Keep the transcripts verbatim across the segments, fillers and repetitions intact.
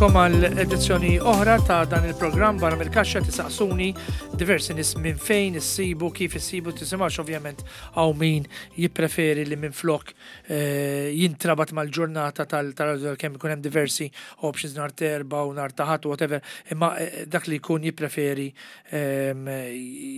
Nilqagħkom għal edizzjoni oħra ta' dan il-programm Barra mill-Kaxxa. Tisaqsuni diversi nies minn fejn issibu, kif issibu, tisimgħux. Ovvjament hawn min jippreferi li minn flok eh, jintrabat mal-ġurnata tal-radio, kemm ikun hemm diversi options nhar t'Erbgħa u nhar ta' Ħadd, whatever, imma eh, dak li jkun jippreferi ehm,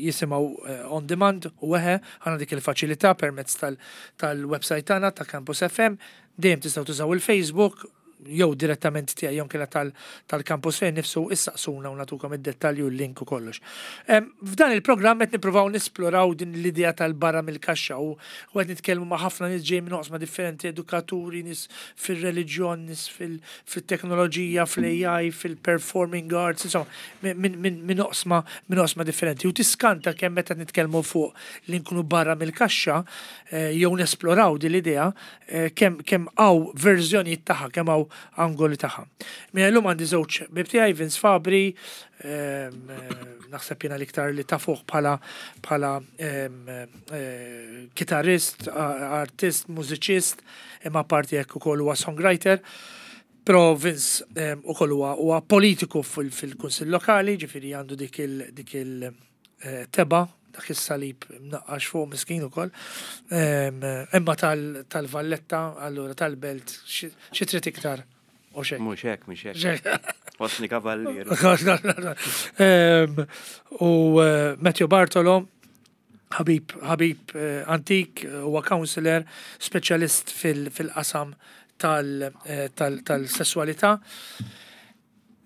jisimgħu eh, on demand u eħe għandna dik il-faċilità permezz tal-website tagħna ta' Campus F M. Dejjem tistgħu tużaw il-Facebook jew direttament tiegħi jew kella tal-campus fejn nifsu, issaqsuna u nagħtukom id-dettalji u l-link u kollox. F'dan il-programm qed nippruvaw nisploraw din l-idea tal-barra mill-kaxxa u qed nitkellmu ma' ħafna nies ġej minn oqsma differenti, edukaturi, nies fir-reliġjon, nies fil-teknoloġija, fl-A I, fil-performing arts, insomma, minn oqsma minn oqsma differenti. U tiskanta kemm meta nitkellmu fuq li nkunu barra mill-kaxxa eh, jew nesploraw din l-idea, eh, kemm kemm hawn verżjonijiet tagħha, kemm hawn angoli tagħha. Minn illum għandi żewġ ħbieb tiegħi, Vince Fabri, ehm, eh, naħseb jiena l-iktar li tafuh bħala bħala ehm, eh, kitarrist, artist, mużiċist, imma parti hekk ukoll huwa songwriter. Però Vince ehm, ukoll huwa huwa politiku fil-Kunsill Lokali, ġifieri għandu dik il dik il eh, teba, dak is-salib mnaqqax fuq, miskin ukoll. Imma tal-Valletta, allura tal-Belt, xi trid iktar? U xejn. Mhux hekk, mhux hekk. Wasni kavallier. U eh, Matthew Bartolo, ħabib ħabib eh, antik, huwa counselor, speċjalist fil-qasam eh, tal-sessualità.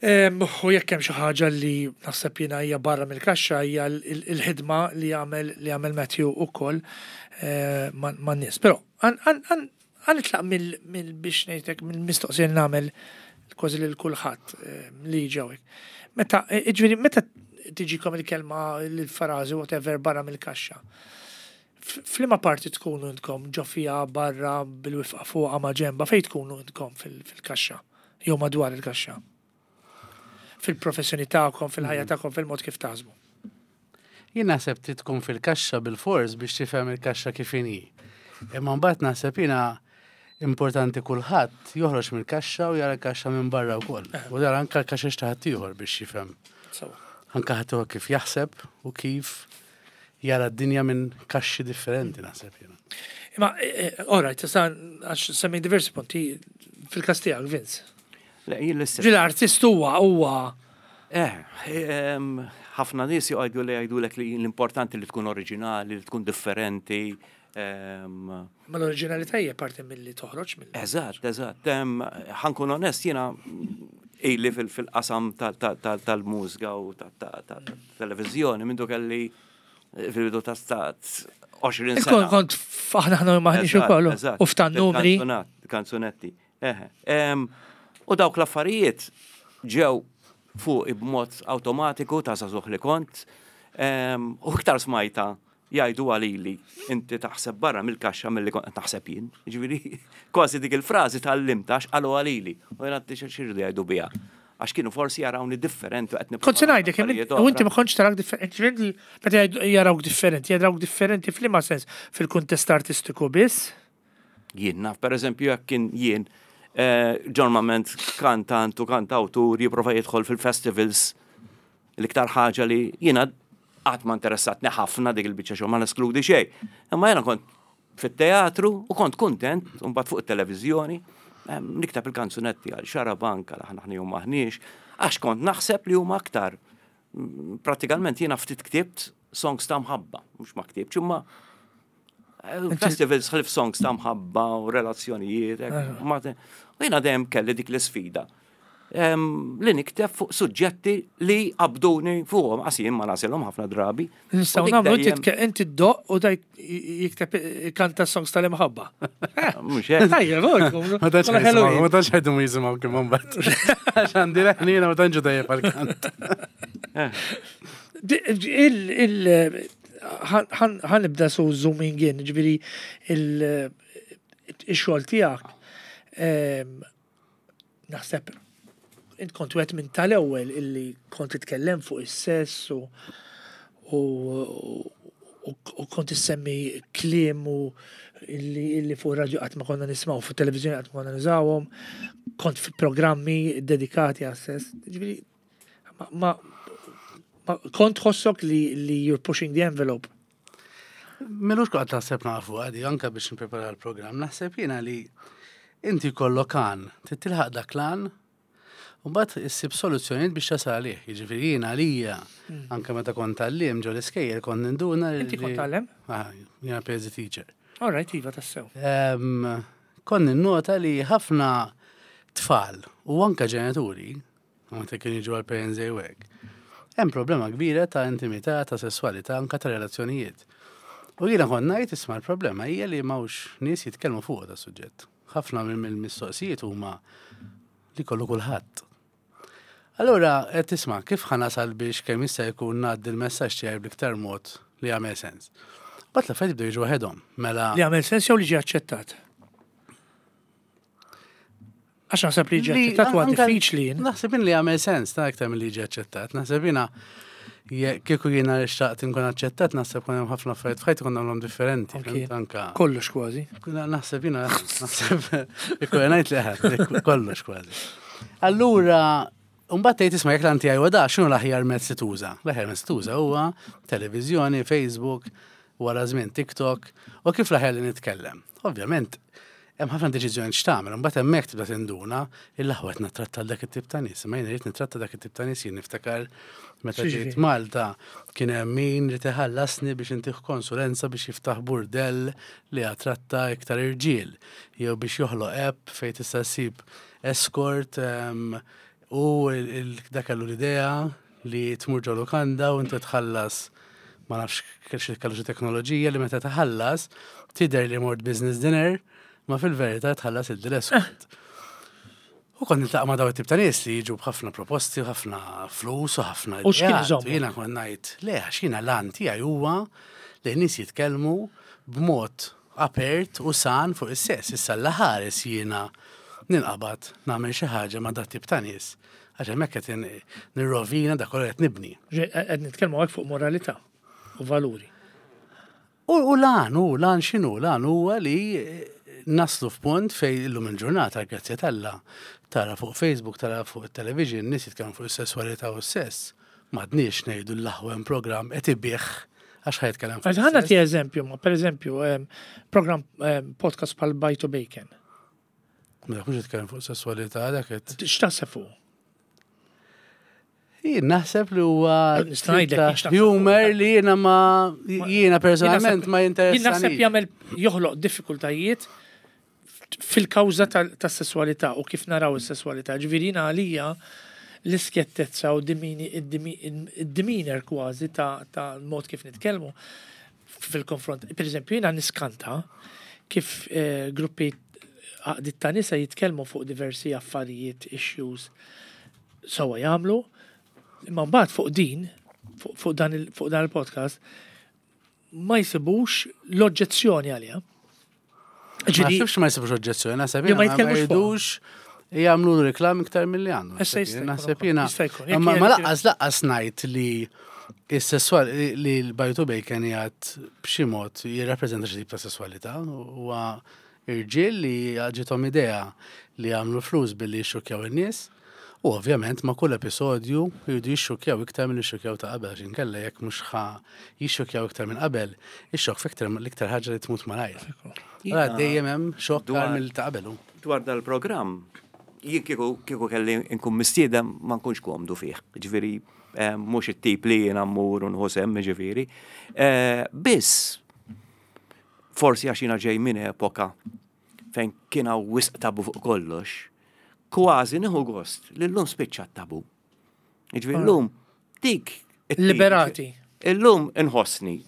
U jekk hemm xi ħaġa li naħseb jiena hija barra mill-kaxxa, hija l-ħidma li jagħmel li jagħmel Matthew ukoll eh, man-nies. Però ħa nitlaq mill biex ngħidlek mill-mistoqsija li nagħmel kważi lil kulħadd eh, li ġewek. Meta, eh, ġifieri, meta tiġikom il-kelma, l-frażi, whatever, barra mill-kaxxa. F'liema parti tkunu intkom, ġo fiha, barra, bil-wifqa fuqha, ma' ġenba, fej tkunu intkom fil-kaxxa jew madwar il-kaxxa? Fil-professjoni tagħkom, fil-ħajja tagħkom, fil-mod kif taħsbu. Jien naħseb trid tkun fil-kaxxa bil-fors biex tifhem il-kaxxa kif inhi. Imma mbagħad naħseb jiena importanti kulħadd joħroġ mill-kaxxa u jara l-kaxxa minn barra wkoll. U jara anke l-kaxxa ta' ħaddieħor biex jifhem. Sewa. Anke ħaddieħor kif jaħseb u kif jara d-dinja minn kaxxi differenti, naħseb jiena. Imma, all right, sa għax semmi diversi punti fil-kas tiegħek, Vince. Le, jien l-istess. Ġi l-artist huwa huwa Eh, em, ħafna nies jgħidu li jgħidulek li l-importanti li tkun oriġinali, li tkun differenti. em, Ma l-oriġinalità hija parti milli toħroġ mill. Eżatt, eżatt. Em, Ħa nkun onest, jiena ili fil- fil-qasam tal-mużika u tal-televizjoni mindu kelli fil-bidu ta' stat għoxrin Kont sena. kont aħna ħna maħniex Eżatt, ukoll eżatt. u f'tan numri. Il-kanzunat- Kanzunetti. Eħe. Em, U dawk l-affarijiet ġew fuq b'mod automatiku ta' żagħżugħ li kont. Em, U iktar smajta jgħidu għalili inti taħseb barra mill-kaxxa milli kont taħseb jien. Ġifieri, kważi dik il-frażi tal-limta għax qalu għalili. U jien għaddi x'iridu jgħidu biha? Għax kienu forsi jarawni differenti u qed Kont se ngħidlek, affarijiet u inti oħra. ma kontx tarak differenti, ġifieri meta jgħidu- jarawk differenti, jarawk differenti f'liema sens? Fil-kuntest artistiku biss? Jien naf, per eżempju, jekk kien jien eh, ġormament kantant u kantawtur jipprova jidħol fil-festivals, l-iktar ħaġa li jiena qatt ma interessatni ħafna dik il-biċċa xogħol, ma neskludi xejn. Imma jiena kont fit-teatru u kont kuntent, u mbagħad fuq it-televiżjoni em, nikteb il-kanzunetti għal Xarabank, għal Aħna Aħna jew Maħniex, għax kont naħseb li huma aktar. Mm, Pratikament jiena ftit ktibt songs ta' mħabba, mhux ma ktibx, imma eh, festivals ħlif songs ta' mħabba u relazzjonijiet. Hekk, ma te- U jiena dejjem kelli dik l-isfida. Em, Li nikteb fuq suġġetti li qabduni fuqhom, għax jien ma nasilhom ħafna drabi. Nistgħu U dik nagħmlu inti dejjem- tke- inti ddoqq u daj jikteb, kanta songs tal-imħabba. Mhux hekk. Tajjeb, Ma tantx jisimgħu, ma tantx ħajdu jisimgħu kif mbagħad. Għax għandi leħnina ma tantx tajjeb għall-kant. Il il ħa nibda so zooming in, ġifieri il-xogħol tiegħek, em, naħseb int kont wieħed minn tal-ewwel illi kont titkellem fuq is-sess u u u u kont issemmi kliem u illi, illi fuq radio qatt ma konna nismgħu, fuq televizjoni qatt ma konna nużawhom. Kont fi programmi dedikati għas-sess. Ġifieri, ma, ma, ma kont tħossok li, li you're pushing the envelope. M'ilux kont naħseb nafu għadi, anka biex nprepara l-program, naħseb jiena li inti jkollok għan, tilħaq dak l-għan, u mbagħad issib soluzzjonijiet biex tasal għalih. Jiġifieri jiena għalija, anka meta kont għalliem ġo l-iskejjel kont ninduna li. Inti kont tgħallem? Ah, jiena P S D teacher. All right, iva, tassew. Em, Kont ninnota li ħafna tfal u anka ġenituri, meta kienu jiġu għal Parents Day u hekk, hemm problema kbira ta' intimità, ta' sessualità, anka ta' relazzjonijiet. U jiena kont ngħid, isma', l-problema hija li m'hawnx nies jitkellmu fuq da suġġett. Ħafna minn mill-mistoqsijiet huma li kollu kulħadd. Allura, qed tisma', kif ħa nasal biex kemm jista' jkun ngħaddi l-messaġġ tiegħi bl-iktar mod li jagħmel sens. Mbagħad l-affarijiet jibdew jiġu waħedhom. Mela Li għamel sens jew li ġie aċċettat? Għax naħseb li ġie Li- aċċettat huwa anka- diffiċli jien. Naħseb li għamel sens ta' iktar milli ġie aċċettat. Naħseb jiena je- kieku jiena xtaqt inkun aċċettat, naħseb kien hemm ħafna affarijiet f'ħajti kont nagħmlhom differenti. Anki. Fhimt? Anka Kollox kważi. Kuna naħseb jiena, naħseb ikun ngħid li ħadd kollox kważi. Allura, mbagħad tgħid, isma', jekk l-anti għajwa da, x'inhu l-aħjar mezz li tuża? L-aħjar mezz li tuża huwa televiżjoni, Facebook, wara żmien TikTok, u kif l-aħjar li nitkellem. Ovvjament, hemm ħafna deċiżjoni x'tagħmel, imbagħad hemmhekk tibda tinduna il-aħwa qed nittratta dak it-tip ta' nies. Ma jien irid nittratta dak it-tip ta' nies. Jien niftakar meta X'jiġifieri? ġejt Malta kien hemm min li tħallasni biex intih konsulenza biex jiftaħ burdell li attratta iktar irġiel, jew biex joħloq app fejn tista' ssib escort em, u il- il- dak kellu l-idea li tmur ġo lukanda u inti tħallas, ma nafx xi kellu xi teknoloġija li meta tħallas tidher li mort business dinner, ma fil-verità tħallas il-escort. U kont niltaqa' ma' daw it-tip ta' nies li jiġu b'ħafna proposti, u ħafna flus u ħafna U x'kien ideat. iżommok? U jiena kont ngħid, le, għax jiena l-għan tiegħi huwa li n-nies jitkellmu b'mod apert u san fuq is-sess. Issa l-ħares jiena ninqabad nagħmel xi ħaġa ma' dat tip ta' nies. Għax hemmhekk qed nirrovina dak kollu qed nibni. Ġe- Qed nitkellmu hekk fuq moralità u valuri. U, u l-għan, u l-għan x'inhu? L-għan huwa li eh, naslu f'punt fej illum il-ġurnata, grazzi t'Alla, tara fuq Facebook, tara fuq il-television, nies jitkellmu fuq is-sessualità u s-sess. M'għadniex ngħidu l-aħwa hemm program qed ibih għax ħa jitkellem fuq Għax ħa nagħti is-sess. eżempju, ma per eżempju, em, program em, podcast bħal Bajd u Bacon. Ma dak mhux jitkellem fuq sessualità, dak qed. X'taħseb fuq? Jien naħseb li huwa Nista' ngħidlek, ta' x'taħseb humor fuq. li jiena ma jiena personalment ma Jien naħseb jinteressani. jagħmel joħloq diffikultajiet fil-kawża tas-sessualità u kif naraw is-sessualità. Ġifieri jiena għalija l-iskjettezza u id-demeanor kważi ta' ta' mod kif nitkellmu fil-konfront. Per eżempju, jiena niskanta kif eh, gruppi għaqdiet ta' nisa jitkellmu fuq diversi affarijiet, issues, sewa jagħmlu, imma mbagħad fuq din, fuq fuq dan il- fuq dan il-podcast, ma jsibux l-oġġezzjoni għaliha. Ma Ġifieri, naħsibx ma jsibux oġġezzjoni, naħseb Jew ma jiena ma jitkellmux fuqha. jridux jagħmlu reklam iktar milli għandu. Issa jista' jkun Naħseb ukoll, jiena. jista' jkun. Jekk Ma ma jekk- lanqas lanqas ngħid li is-sessual li l-Bajd u Bacon jgħid b'xi mod jirrappreżenta xi tip ta' sessualità, huwa irġiel li ġiethom idea li jagħmlu flus billi jixxukjaw in-nies. U ovvjament ma' kull episodju jridu jixxukjaw iktar minn jixxukjaw ta' qabel, għax inkella jekk mhux ħa jixxukjaw iktar minn qabel, ix-xokk factor l-iktar ħaġa li tmut malajr. Allora dejjem hemm xokk Dwar- aktar mill ta' qabel. Dwar dal-programm, jien kieku kieku kelli nkun mistieden ma nkunx komdu fih. Ġifieri, eh, mhux it-tip li jiena mmur u nieħu sehem, ġifieri. Eh, Biss, forsi għax jiena ġej minn epoka fejn kien hawn wisq tabu fuq kollox, kważi nieħu gost li llum spiċċa tabu. Ġifieri llum dik it-tip- Liberati. Illum inħossni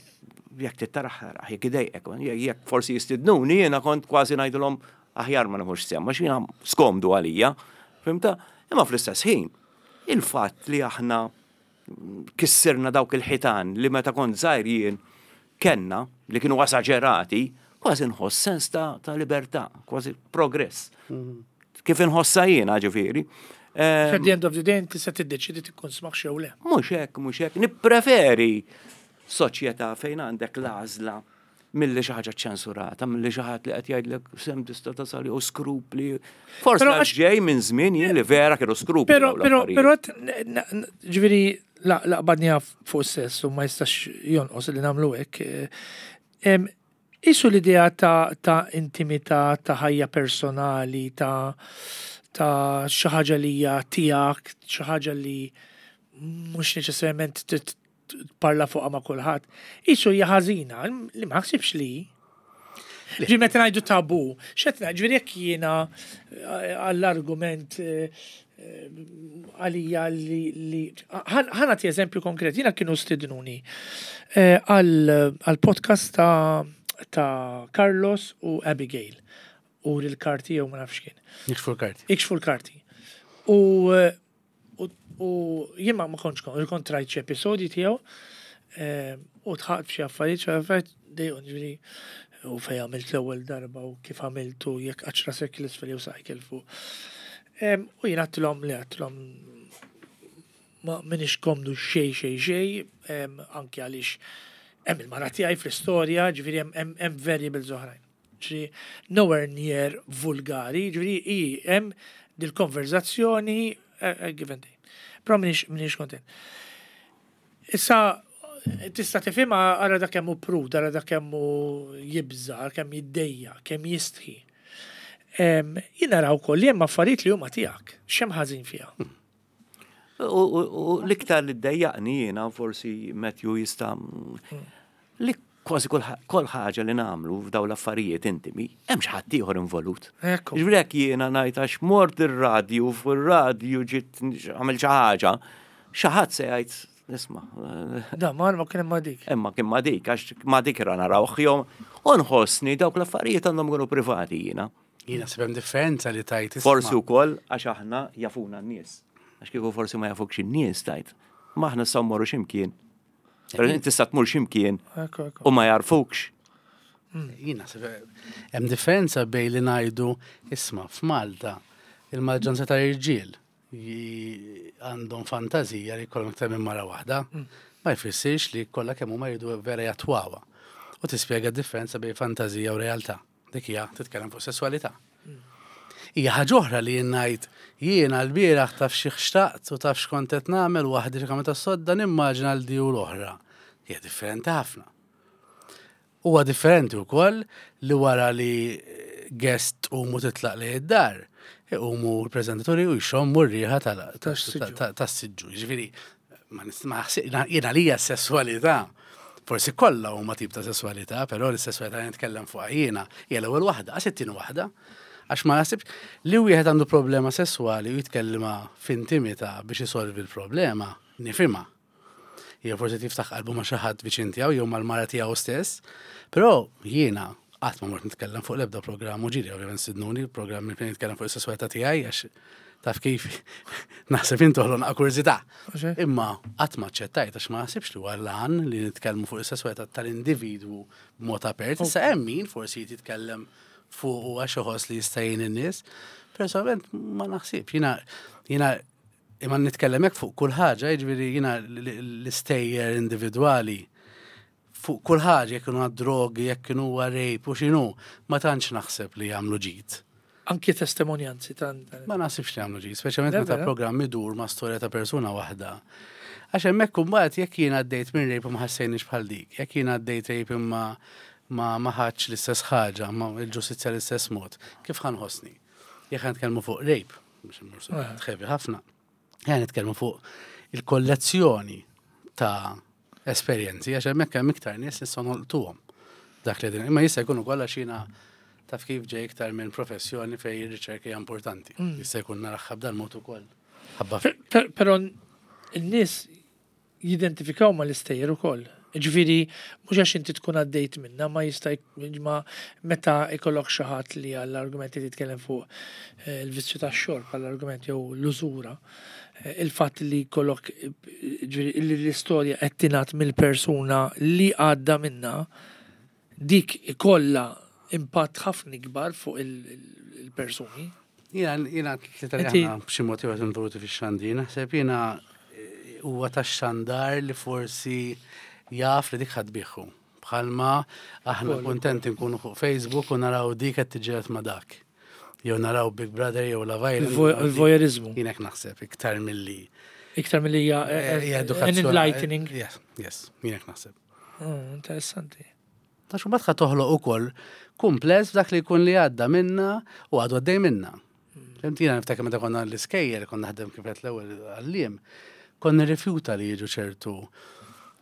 jekk tittaraħ, jekk idejqek, jekk forsi jistidnuni, jiena kont kważi ngħidulhom aħjar ma nieħux sehem, għax jiena skomdu għalija, fhimta? Imma fl-istess ħin, il-fatt li aħna kissirna dawk il-ħitan li meta kont żgħir jien kenna li kienu esaġerati, kważi nħoss sens ta', ta' libertà, kważi progress. Kif inħossa jiena, ġifieri. Eh, At the end of the day, inti se tiddeċidi tikkonsmax jew le. Mhux hekk, mhux hekk. Nippreferi soċjetà fejn għandek l-għażla Milli xi ħaġa ċensurata, milli xi ħadd li qed jgħidlek sem tista' tasal u skrupli. Forsi Però għax għax- ġej minn żmien jien li vera kienu skrupli. Pero, dawn pero, l-affarijiet. pero, għat- na- na- ġifieri, la, la qbadniha fuq sess u ma jistax jonqos li nagħmlu hekk. eh, em, Isu l-idea ta', ta' intimità, ta' ħajja personali, ta' ta' xi ħaġa li hija tiegħek, xi ħaġa li mhux neċessarjament trid tparla fuqha ma' kulħadd. Isu hija ħażina, li ma ħsibx li. Ġi meta ngħidu tabu, x'qed ngħid, ġifieri jekk jiena eh, għall-argument eh, eh, għalija li li ħa nagħti eżempju konkret, jiena kienu stidnuni eh, għal għal podcast ta' ta' Carlos u Abigail u l-karti jew ma nafx kien. Jikxfu l-karti. Ikxfu l-karti. U eh, u u jien ma ma kontx kon, kont rajt xi episodji tiegħu eh, u dħaqt f'xi affarijiet, xi affarijiet dejjem ġifieri u fej għamilt l-ewwel darba u kif għamiltu jekk għax rasek l-isfel jew saqajk fuq. Em, U jien għedtilhom li għedtilhom ma minix komdu xej xej xej, em, anki għaliex hemm il-mara tiegħi fl-istorja, ġifieri hemm- hemm hemm variables oħrajn. Ġifieri nowhere near vulgari, ġifieri i hemm dil-konverzazzjoni eh, eh, give and take. Però minix minix kontent. Issa tista' tifhimha ara dak kemm hu prud, ara dak kemm hu jibża, kemm jiddejja, kemm jistħi. Em, Jien naraw ukoll li hemm affarijiet li huma tiegħek, x'hemm ħażin fiha. U u- u l-iktar li ddejjaqni jiena forsi Matthew jista' li kważi kull ħa- kull ħaġa li nagħmlu f'daw l-affarijiet intimi, hemm xi ħadd ieħor involut. Ekku. Ġifieri jekk jiena ngħid għax mort ir-radju fuq ir-radju ġiet għamel xi ħaġa, xi ħadd se jgħid nisma' Da, ma ma kien hemm ma dik. imma kien ma dik għax ma dik ra narawh jew u nħossni dawk l-affarijiet għandhom ikunu privati jiena. Jiena naħseb hemm differenza li tajt isma'. Forsi wkoll għax aħna jafuna n-nies. Għax kieku forsi ma jafukx in-nies tajt. Ma aħna nistgħu mmorru x'imkien. Però inti tista' tmur x'imkien Ekku, ekku. u ma jarfukx. Jiena naħseb hemm differenza bejn li ngħidu isma' f'Malta il-maġġoranza ta' irġiel ji- għandhom fantazija li jkollhom iktar minn mara waħda, ma jfissirx li kollha kemm huma jridu vera jattwawha. U tispjega d-differenza bejn fantazija u realtà. Dik hija titkellem fuq sesswalità. Hija ħaġa oħra li jien ngħid jiena l-bieraħ taf xi xtaqt u taf x'kont qed nagħmel waħdi xi kamra tas-sodda nimmaġina l di u l-oħra. Hija differenti ħafna. Huwa differenti wkoll li wara li guest umu titlaq li id-dar, iqumu l-preżentaturi u jxommu r-riħa tal- Tas-siġġu. ta- tas-siġġu. Ġifieri, ma nis- ma ħsib- jiena lija s-sesswalità. Forsi kollha huma tip ta' sesswalità, però l-sesswalità li nitkellem fuqha jiena hija l-ewwel waħda, għax it-tieni waħda. Għax ma naħsibx li wieħed għandu problema sesswali u jitkellima f'intimità biex isolvi l-problema, nifhimha. Jew forsi tiftaħ qalbu ma' xi ħadd viċin tiegħu jew mal-mara tiegħu stess. Però jiena qatt ma mort nitkellem fuq l-ebda programm u ġiri ovvjament stidnuni programm fejn nitkellem fuq is-sesswalità tiegħi għax taf kif naħseb intoħlu naqa' kurżità. Mhux hekk? Imma qatt ma aċċettajt għax ma naħsibx li huwa l-għan li nitkellmu fuq is-sesswalità tal-individwu b'mod apert. Issa hemm min forsi jitkellem fuq u għax iħoss li jista' jgħin in-nies. Personalment ma naħsibx. Jiena jiena imma nitkellem hekk fuq kull ħaġa, jiġifieri jiena l-istejjer individwali fuq kull ħaġa jekk kienu drogi, jekk kienu rape u x'inhu, ma tantx naħseb li jagħmlu ġid. Anki testimonjanzi tan. Ma naħsibx li jagħmlu ġid, speċjalment Le, meta vera? programm idur ma' storja ta' persuna waħda. Għax hemmhekk imbagħad jekk jien għaddejt minn rape u ma ħassejniex bħal dik, jekk jien għaddejt rape imma ma ma ħadx l-istess ħaġa, ma l-ġustizzja l-istess mod, kif ħa nħossni? Jekk ħa nitkellmu fuq rape, biex immur Eh. heavy ħafna, ħa nitkellmu fuq il-kollezzjoni ta' esperjenzi, għax hemmhekk hemm iktar nies nistgħu nolqtuhom dak li din. Imma jista' jkun ukoll għax jiena taf kif ġej iktar minn professjoni fejn ir-riċerka hija importanti. Jista' jkun naraha b'dan mod ukoll. Ħabba Per- per- Però n-nies jidentifikaw ma l-istejjer ukoll. Ġifieri, mhux għax inti tkun għaddejt minna, ma jista' jk- ma meta ikollok xi ħadd li għall-argumenti titkellem fuq eh, il-vizzju tax-xorb għall-argument jew l-użura, eh, il-fatt li jkollok eh, ġifieri li l-istorja qed tingħad mill-persuna li għadda minna, dik ikollha impatt ħafna ikbar fuq il- il- il-persuni. Jiena jiena tlieta li Inti- aħna b'xi mod ieħor involuti fix-xandir, naħseb jiena eh, huwa tax-xandar li forsi jaf li dik ħadd biħu Bħalma aħna kontenti nkunu fuq Facebook u naraw dik qed tiġġieled ma' dak. Jew naraw Big Brother jew Love Island. Il-voyeurizmu. Jien hekk naħseb iktar milli. Iktar milli hija Eh, hija an edukazzjoni. enlightening. Yes, yes, jien hekk naħseb. Oh, interessanti. Għax mbagħad ħa toħloq ukoll kumpless f'dak li jkun li għadda minna u għadu għaddej minna. Fhimt, jiena niftakar meta konna l-iskejjel, konna naħdem kif qed l-ewwel għalliem, konna nirrifjuta li jiġu ċertu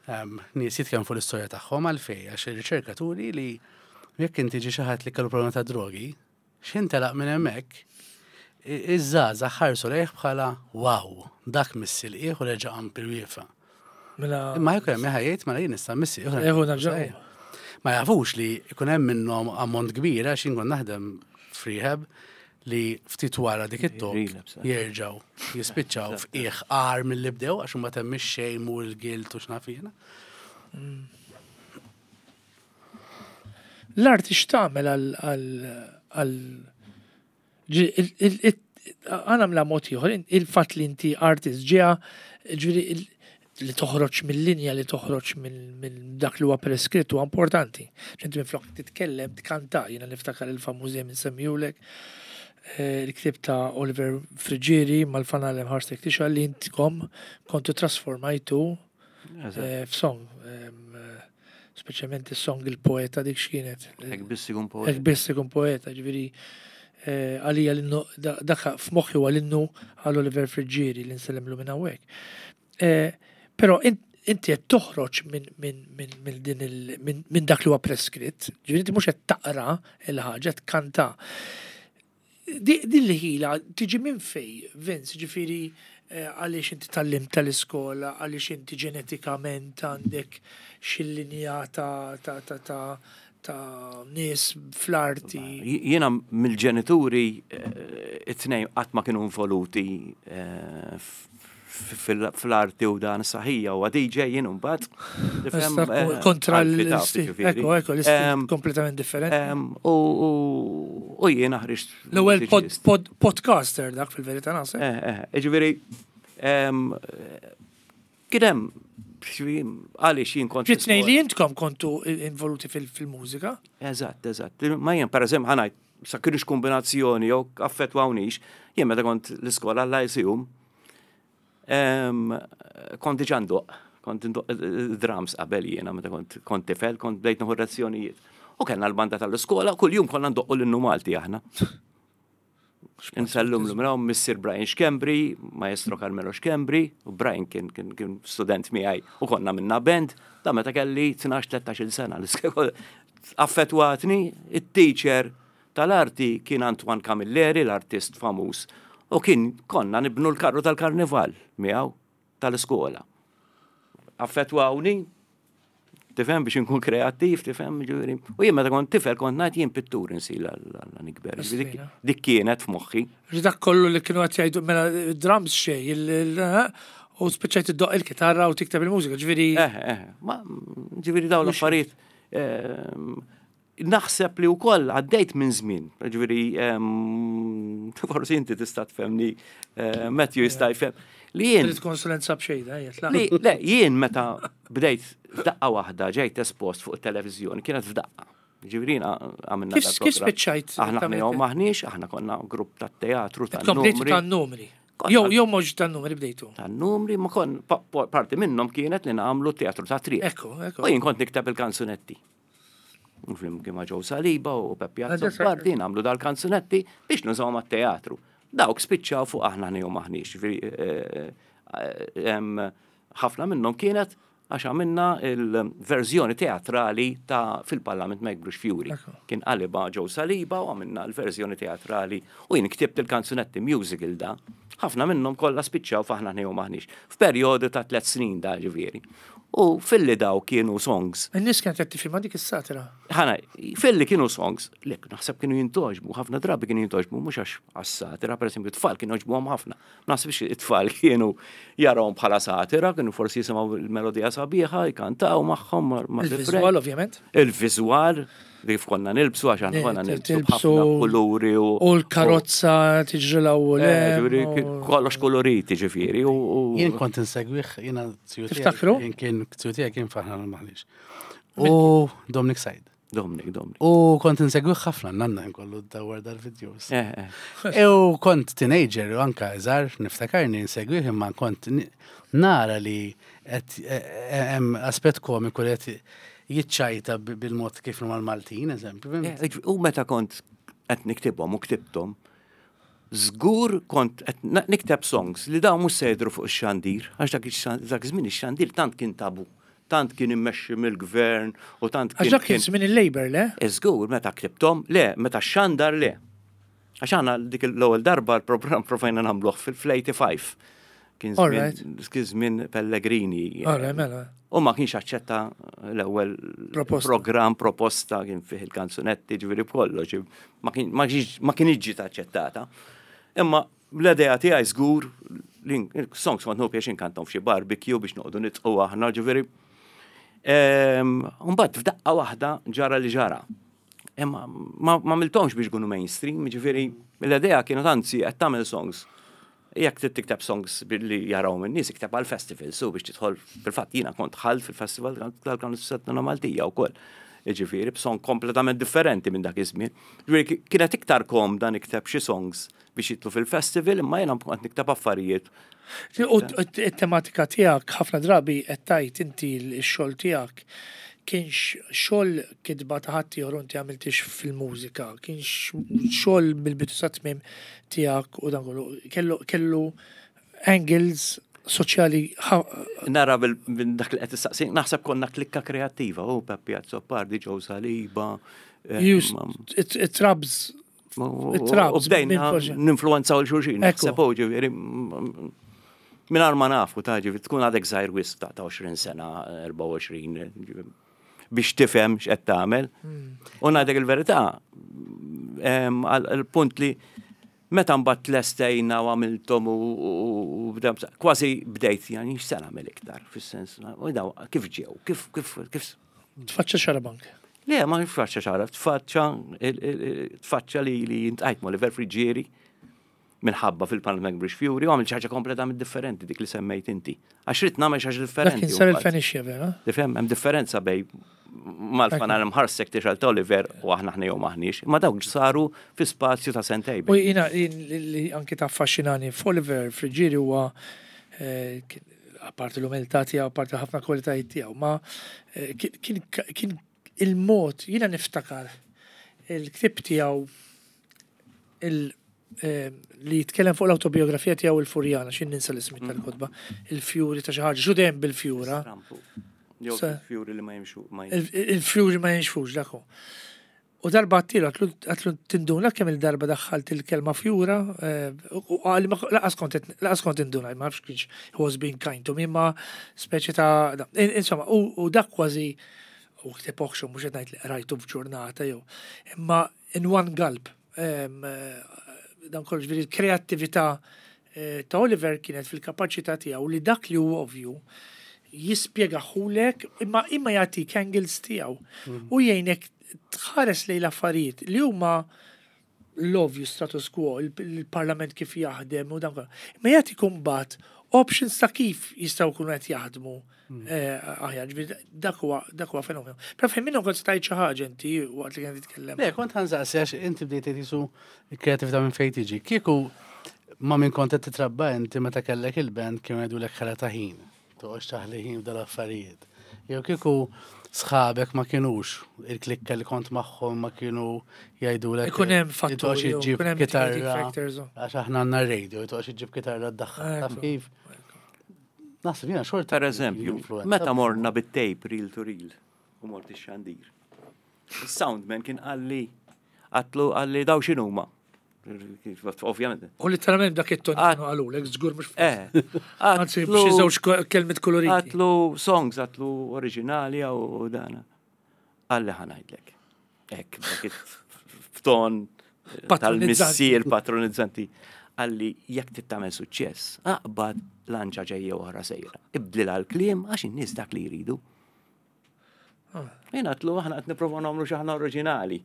um, nies jitkellmu fuq l-istorja tagħhom għalfejn għax ir-riċerkaturi li jekk inti ġi xi ħadd li kellu problema ta' drogi, x'ħin telaq minn hemmhekk, i- iż-żgħażagħ ħarsu lejh bħala wow, dak miss il-qiegħ u reġa' qam bil-wieqfa. Mela, Imma jekk hemm ħajjejt mela jien nista' missi. Eħu nerġa' Ma jafux li jkun hemm minnhom ammont kbir għax jien kont naħdem f'rehab li ftit wara dik it-talk Relapse, eh. jerġgħu jispiċċaw f'qiegħ agħar milli bdew għax huma temm ix-shame u l-guilt u x'naf jiena. L-arti x'tagħmel għal għal għal ġi- il- il- il- għana mla mod ieħor, in- il-fatt li inti artist ġeja, ġifieri il- li toħroġ mill-linja, li toħroġ minn minn dak li huwa preskritt huwa importanti. Inti minflok titkellem, tkanta, jiena niftakar il-famużi minn semmijulek, eh, il-ktib ta' Oliver Friggieri mal-fanal ħarstek tixa li intkom kontu trasformajtu eh, f'song. Em, eh, Speċjalment is-song il-poeta dik x'kienet. Hekk biss ikun poeta. Hekk biss ikun poeta, ġifieri eh, għalija l-innu, da- dak f'moħħi huwa l-innu għal Oliver Friggieri li nsellemlu minn hawnhekk. Eh, Però in- inti qed toħroġ minn minn minn minn din il minn minn dak li huwa preskritt, ġifieri inti mhux qed taqra il-ħaġa qed tkanta. Di- Din li ħila tiġi minn fej, Vince, ġifieri eh, għaliex inti tallim tal-iskola, għaliex inti ġenetikament għandek xi linja ta' ta' ta' ta' ta' nies fl-arti. Jiena mill-ġenituri eh, it-tnejn qatt ma kienu involuti eh, f- fil- fl-arti u dan saħija u D J jien mbagħad. Tifhem, Issa eh, kontra għalfi taf, l-istil. ġifieri. Ekku, ekku, l-istil Em, kompletament differenti. em, U u- u jiena ħriġt L-ewwel pod, mużiċist. pod, podcaster dak fil-verità naħseb. Eh, eh, ġifieri, em, eh, kien hemm, ġifieri, għaliex jien kont. Ġi tnejn li intkom kontu involuti fil- fil-mużika. Eżatt, eżatt. Ma jien, per eżempju, ħa ngħid, sa kienux kombinazzjoni jew affettwawnix, jien meta kont l-iskola l-Lyceum, em, kont diġà ndoqq, kont ndoqq drums qabel jiena meta kont kont tifel, kont bdejt nieħu lezzjonijiet. U kellna l-banda tal-iskola, kuljum konna ndoqqu l-innu Malti aħna. Insellum l Missir Brian Schembri, Maestro Carmelo Schembri, u Brian kien, kien, kien student miegħi u konna minna band, da meta kelli tnax tlettax-il sena. L-iskola affettwatni, it-teacher tal-arti kien Antoine Camilleri, l-artist famuż, u kien konna nibnu l-karru tal-karnival miegħu tal-iskola. Affettwawni, tifhem, biex inkun kreattiv, tifhem, ġifieri. U jien meta kont tifel kont ngħid jien pittur insir la nikber. Ġifieri dik- Dik kienet f'moħħi. Ġi dak kollu li kienu qed jgħidu mela drums xej, il- il- u spiċċajt iddoq il-kitarra u tikteb il-mużika, ġifieri Eh, eh, ma ġifieri dawn l-affarijiet. ehm, Naħseb li wkoll għaddejt minn żmien, ġifieri ehm, forsi inti tista' tfehmni, eh, Matthew jista' jfhem. Li jien trid konsulenza b'xejda, jgħid, Li, le, jien meta bdejt f'daqqa waħda ġejt espost fuq it-televiżjoni, kienet f'daqqa. Ġifieri għamilna Kif- dal-programm. kif spiċċajt Aħna tagħmel ħna maħniex, aħna konna grupp ta' teatru ta' Komplejtu numri. tan-numri. Konna- Jew jew mhux tan-numri bdejtu. Ta' numri, ma kon, pa- pa- parti minnhom kienet li nagħmlu teatru ta' triq. Ekku, ekku. U jien kont nikteb il-kanzunetti. U flimkien ma' Joe Saliba u Peppi Adesso- Azzopardi nagħmlu dal-kanzunetti biex nużaw mat-teatru. Dawk spiċċaw fuq aħna jew maħniex. Ġifieri, eh, eh, em, ħafna minnhom kienet għax għamilna il-verżjoni teatrali ta' fil-Parlament ma jikbrux fjuri. Ekku. Kien qaliba Joe Saliba u għamilna l-verżjoni teatrali u jien ktibt il-kanzunetti musical da. Ħafna minnhom kollha spiċċaw f'aħna jew maħniex. F'perjodu ta' tliet snin da ġifieri. U filli daw kienu songs. In-nies kienet qed tifhimha dik is-satira. Ħana, filli kienu songs, lek, naħseb kienu jintogħġbu, ħafna drabi kienu jintogħġbu, mhux għax għas-satira, per esempio, tfal kienu jogħġbuhom ħafna. Ma naħsibx it-tfal kienu jarawhom bħala satira, kienu forsi jisimgħu il-melodija sabiħa, jkantaw magħhom ma' ma' Il-viżwal ovvjament. Il-viżwal, kif konna nilbsu, għax aħna konna Eh, nilbsu tilbsu b'ħafna kuluri u. U l-karozza tiġrilha u Eh, le. ġifieri, kollox koloriti ġifieri. u- u- Jien kont insegwih, jiena ziju tiegħi- Tiftakru? Jien kien ziju tiegħi kien faħna maħniex. U Dominic Said. Dominic, Dominic. U kont insegwih ħafna, nanna nkollu dawar dal-videos. Eh, eh. U kont teenager u anka iżgħar niftakarni insegwih imma kont ni- nara li qed eh, hemm aspett komiku li qed jiċċajta bi- bil-mod kif huma l-Maltin, eżempju. Eh, ġ- U meta kont qed niktibhom u ktibthom, żgur kont qed na- nikteb songs li dawn mhux se jidhru fuq ix-xandir, għax dak ix- dak iż-żmien ix-xandir tant kien tabu, tant kien immexxi mill-gvern u tant Għax kien. dak kien żmien il-Labour, le? Żgur, meta ktibthom, le, meta xandar le. Għax aħna dik l-ewwel darba l-programm provajna nagħmluh fil-eighty-five. Kien żmien Alright. kien żmien Pellegrini. Alright, mela. U ma kienx aċċetta l-ewwel Proposta. program proposta kien fih il-kanzunetti ġifieri b'kollox, ma kien- ma kienx ma kienx ġiet aċċettata. Imma l-idea tiegħi żgur li songs kont nieħu pjaċir inkantom f'xi barbecue biex noqogħdu nidħku aħna ġifieri. Ehm, Mbagħad f'daqqa waħda ġara li ġara. Imma ma ma għamilthomx biex ikunu mainstream, ġifieri l-idea kienet anzi qed tagħmel songs. Jekk trid tikteb songs billi jaraw minn nies ikteb għal festival, so biex tidħol fil-fatt jiena kont dħalt fil-festival tal-kanzunetta Maltija wkoll. Ġifieri b'song kompletament differenti minn dak iż-żmien. Ġifieri ki- kienet iktar komda nikteb xi songs biex jidħlu fil-festival, imma jiena kont nikteb affarijiet. U t-tematika tiegħek ħafna drabi qed tgħid inti x-xogħol tiegħek kienx xogħol kitba ta' ħadd ieħor u inti għamiltix fil-mużika, kienx xogħol mill-bidu sa tmiem tiegħek u dan kollu. Kellu kellu angles soċjali ħa- Nara bil bil- dak li qed issaqsi, naħseb konna klikka kreattiva, u Peppi Azzopardi, Joe Saliba. eh, used ma- it it rubs U it-trabs u bdejna minn forsi. ninfluenzaw il-xulxin. Ekku. Naħseb u ġifieri, mm, mingħajr ma nafu ta' ġifieri tkun għadek żgħir wisq ta' ta' għoxrin sena, erbgħa u għoxrin, ġifieri, biex tifhem x'qed tagħmel. U ngħidlek il-verità, em, għal il-punt li meta mbagħad tlestejna u għamilthom u- u u bda- kważi bdejt yani x'se nagħmel iktar fis-sens u daw kif ġew, kif kif kif Tfaċċa Xarabank. Le, ma tfaċċa xara, tfaċċa il- il- il- tfaċċa li li iltqajt ma' Oliver Friggieri minħabba fil-Panama Bridge Fury u għamil ħaġa kompletament differenti dik li semmejt inti. Għax ridt nagħmel xi ħaġa Dak differenti. kien sar mbagħad. il-Fenixja, vera? Tifhem, hemm differenza bejn mal-fanal mħarsek tixgħel ta' Oliver u aħna ħna jew maħniex, ma dawk saru fi spazju ta' sentejn. U jina jien li li anki ta' affaxxinani f'Oliver Friggieri huwa eh, kien- apparti l-umiltà tiegħu, apparti ħafna kwalitajiet tiegħu, ma eh, kien kien- kien il-mod, jiena niftakar il-ktib tiegħu il eh, li jitkellem fuq l-autobiografija tiegħu il-Furjana, xin ninsa l-ismi tal-kotba, il-fjuri ta' xi ħaġa, xu dejjem bil-fjura. Strampu. Jew Sa- fjuri li ma jimxu. ma jimxu. Il- Il-fjuri ma jinxfux dak hu. U darba għedtlu, għedtlu tinduna kemm il-darba daħħalt il-kelma fjura, eh, u għalli ma lanqas kont lanqas kont induna, ma nafx kienx he was being kind to me, ma speċi ta' da- in- insomma, u u dak kważi u ktib oħxon, mhux qed ngħid li qrajtu f'ġurnata jew, imma in one gulp, em, eh, dan kollu ġifieri l-kreattività eh, ta' Oliver kienet fil-kapaċità tiegħu li dak li hu ovvju jispjegaħulek imma imma jagħtik angles tiegħu u jgħinek tħares lejn l-affarijiet li huma l-ovvju status quo, il- il-parlament kif jaħdem u dan kollu. Imma jagħtik imbagħad options ta' kif jistgħu jkunu qed jaħdmu eh, aħjar, ġifieri dak huwa dak huwa fenomenu. Però fejn minnhom kont stajt xi ħaġa inti waqt li kien titkellem. Le, kont ħa nsaqsi għax inti bdejt jisu il-kreativita minn fejn tiġi. Kieku ma minn kont qed titrabba inti meta kellek il-band kienu jgħidulek ħela ta' ħin. Toqgħodx taħli ħin f'dal-affarijiet. Jew kieku sħabek ma kienux il-klikka li kont magħhom ma kienu jgħidulek. Ikun hemm li fatturi, toqgħodx iġġib ikun hemm mitigating kitarra. factors, u. Għax aħna għandna radio, toqgħodx iġġib kitarra d-daħħal. Taf Ekku. kif? Naħseb jiena xorta. Per eżempju, influenza. meta morna bit-tape reel to reel u mort ix-xandir. Il-soundman kien qalli għedtlu qalli daw x'inhuma. Ovvjament. U literalment dak it-ton Għad- kienu qalulek, żgur mhux Eh, Anzi, b'xi żewġ ko- kelmiet koloriti. Għedtlu songs, għedtlu oriġinali u dana. Qalli ħa ngħidlek. Ek, dak it-ton Patronizzanti. tal-missier patronizzanti. Qalli jekk trid tagħmel suċċess, aqbad lanċa ġejja oħra sejra. Ibdilha l-kliem għax in-nies dak li jridu. Ah. Jien għedtlu aħna qed nipprova nagħmlu xi ħaġa oriġinali.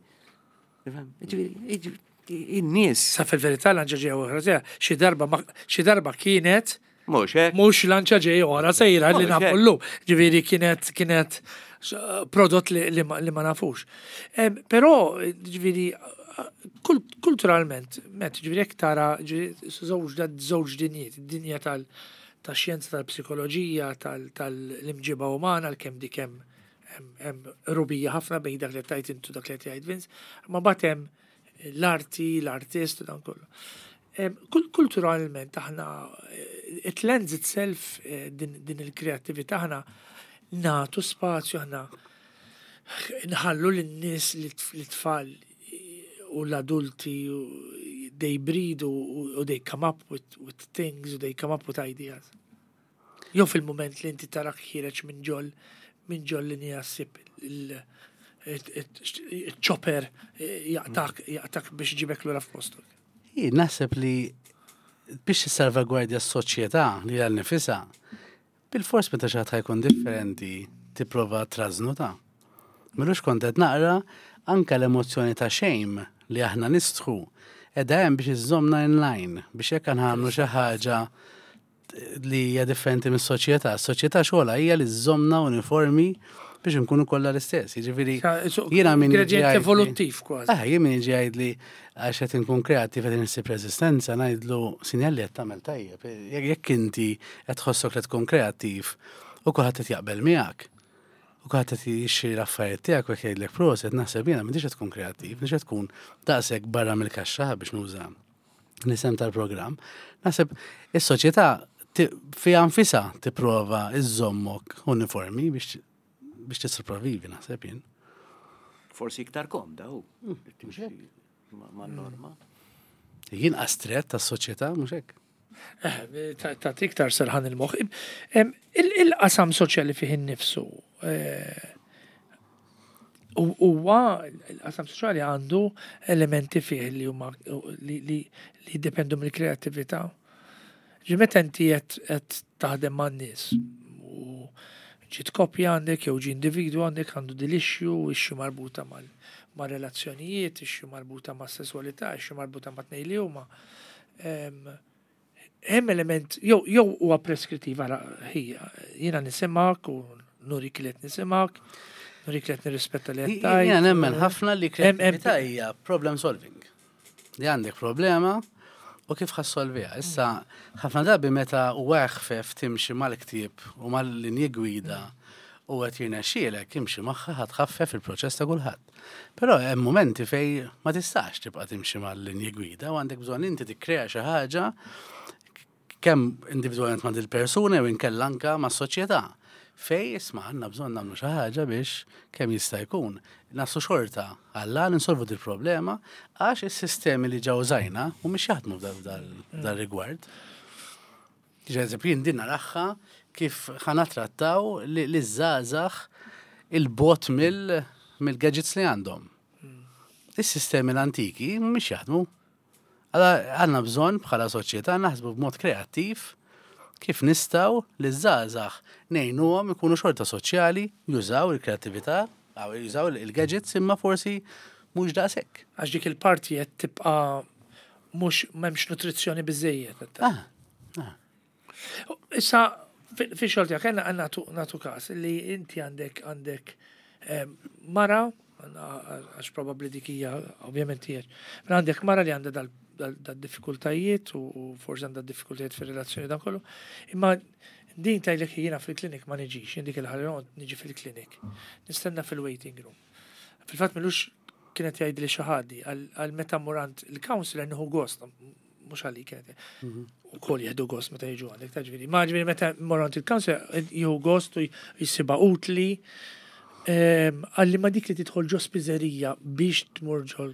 Tifhem? Ġifieri, ġifieri, in-nies Sa fil-verità l ġew oħra xi darba ma- xi darba kienet Mhux hekk. Mhux lanċa ġej ora sejra li Mhux nafu hekk. llum. Ġifieri kienet kienet eh, prodott li, li, ma, li ma nafux. Em, Però, ġifieri, kul- kulturalment, met, ġifieri jekk tara ġifieri, żewġ da- żewġ dinjiet, id-dinja tal ta' xjenza tal-psikoloġija, tal-imġiba umana, l-kem dik hemm hemm- hemm rubija ħafna bejn dak li tajt intu dak li tgħid Vince, ma mbagħad hemm l-arti, l-artist u dan kollu. Em, kul- Kulturalment aħna eh, it lends itself eh, din, din il-kreattività aħna natu spazju aħna nħallu lin-nies li tfal u l-adulti u they breed u, u they come up with, with things u they come up with ideas. Jew fil-moment li inti tarak ħiereġ minn ġol minn ġol linja ssib il-chopper jaqtak jaqtak biex ġibek lura f'postok. Jien naħseb li biex tissalvagwardja s-soċjetà li għal nifisha, bil-fors meta xi ħadd jkun differenti tipprova trażnu ta'. M'ilux kont qed naqra anka l-emozzjoni ta' shame li aħna nistħu edha hemm biex iżżommna in line biex jekk nagħmlu xi ħaġa li hija differenti mis-soċjetà. S-soċjetà xogħolha hija li żżommna uniformi biex nkunu kollha l-istess. Jiġifieri jiena min jiġi Gradient jgħidli- evoluttiv kważi. Ah, jien min jiġi jgħidli għax qed inkun kreattiv qed insib reżistenza ngħidlu sinjal li qed tagħmel tajjeb. Jekk jekk inti qed tħossok li tkun kreattiv u kulħadd qed jaqbel miegħek. U kulħadd qed jixtri l-affarijiet tiegħek u jekk jgħidlek proset naħseb jiena m'intix qed tkun kreattiv, m'intix qed tkun daqshekk barra mill-kaxxa biex nuża l-isem tal-programm. Naħseb is-soċjetà ti- fiha nfisha tipprova iżżommok uniformi biex biex tissopravivi naħseb jien. Forsi iktar komda u. Timxi ma' ma' norma. Jien astret tas-soċjetà mhux hekk. Eh, ta' ta' iktar serħan il-moħ. Em, il- Il-qasam soċjali fih innifsu eh, u- huwa il-qasam soċjali għandu elementi fih li huma li li li jiddependu mill-kreattività. Ġi meta inti qed qed taħdem man-nies u ġiet koppja għandek jew ġi individu għandek għandu dil-issue, issue marbuta mal ma' relazzjonijiet, issue marbuta ma' sessualità, issue marbuta ma' tnejn li huma. Em, Hemm element, jew jew huwa preskrittiv ara ħija, jiena nisimgħek u nurik li qed nisimgħek, nurik li qed nirrispetta li qed tgħid. Jiena nemmen ħafna li Hemm- hemm- kreattività hija problem solving. Li għandek problema u kif ħa ssolviha. Issa, ħafna drabi meta huwa eħfef timxi mal-ktieb u mal-linji gwida u qed jirnexxielek imxi magħha ħa tħaffef il-proċess ta' kulħadd. Però hemm momenti fej ma tistax tibqa' timxi mal-linji gwida u għandek bżonn inti tikkrea xi ħaġa kemm individwalment ma' dil-persuna jew inkella anka ma' soċjetà. Fej isma' għandna bżonn nagħmlu xi ħaġa biex kemm jista' jkun. Naslu xorta għalla ninsolvu dil-problema għax is-sistemi li ġew użajna mhumiex jaħdmu f'dal rigward. Ġeżempju, jien din naraha kif ħa nittrattaw li ż-żgħażagħ il-bogħod mill-gadgets li għandhom. Is-sistemi l-antiki mhumiex jaħdmu. Għala għandna bżonn bħala soċjetà naħsbu b'mod kreattiv kif nistgħu li ż-żgħażagħ ngħinuhom ikunu xorta soċjali, jużaw il-kreattività, aw jużaw il-gadgets imma forsi mhux daqshekk. Għax dik il-parti qed tibqa' mhux m'hemmx nutrizzjoni biżejjed. Ah, ah. Issa, fi xogħol tiegħek għandna nagħtu nagħtu każ li inti għandek għandek em, mara, għax probabbli dik hija ovvjament hija, ma għandek mara li għandha dal dal diffikultajiet u u forsi għandha diffikultajiet fir-relazzjoni dan kollu, imma din tgħidlek jiena fil-klinik ma niġix, jien dik il-ħalli niġi fil-klinik. Nistenna fil-waiting room. Fil-fatt m'ilux kienet jgħid li xi ħadd għal meta mmur għand il-counselor nieħu gost, mhux għalik kienet. U kol jieħdu gost meta jiġu għandek, ta' ġifieri. Ma ġifieri meta mmur għand il-counselor jieħu gost u jissibha utli. Ehm, Għalli ma dik li tidħol ġo spiżerija biex tmur ġo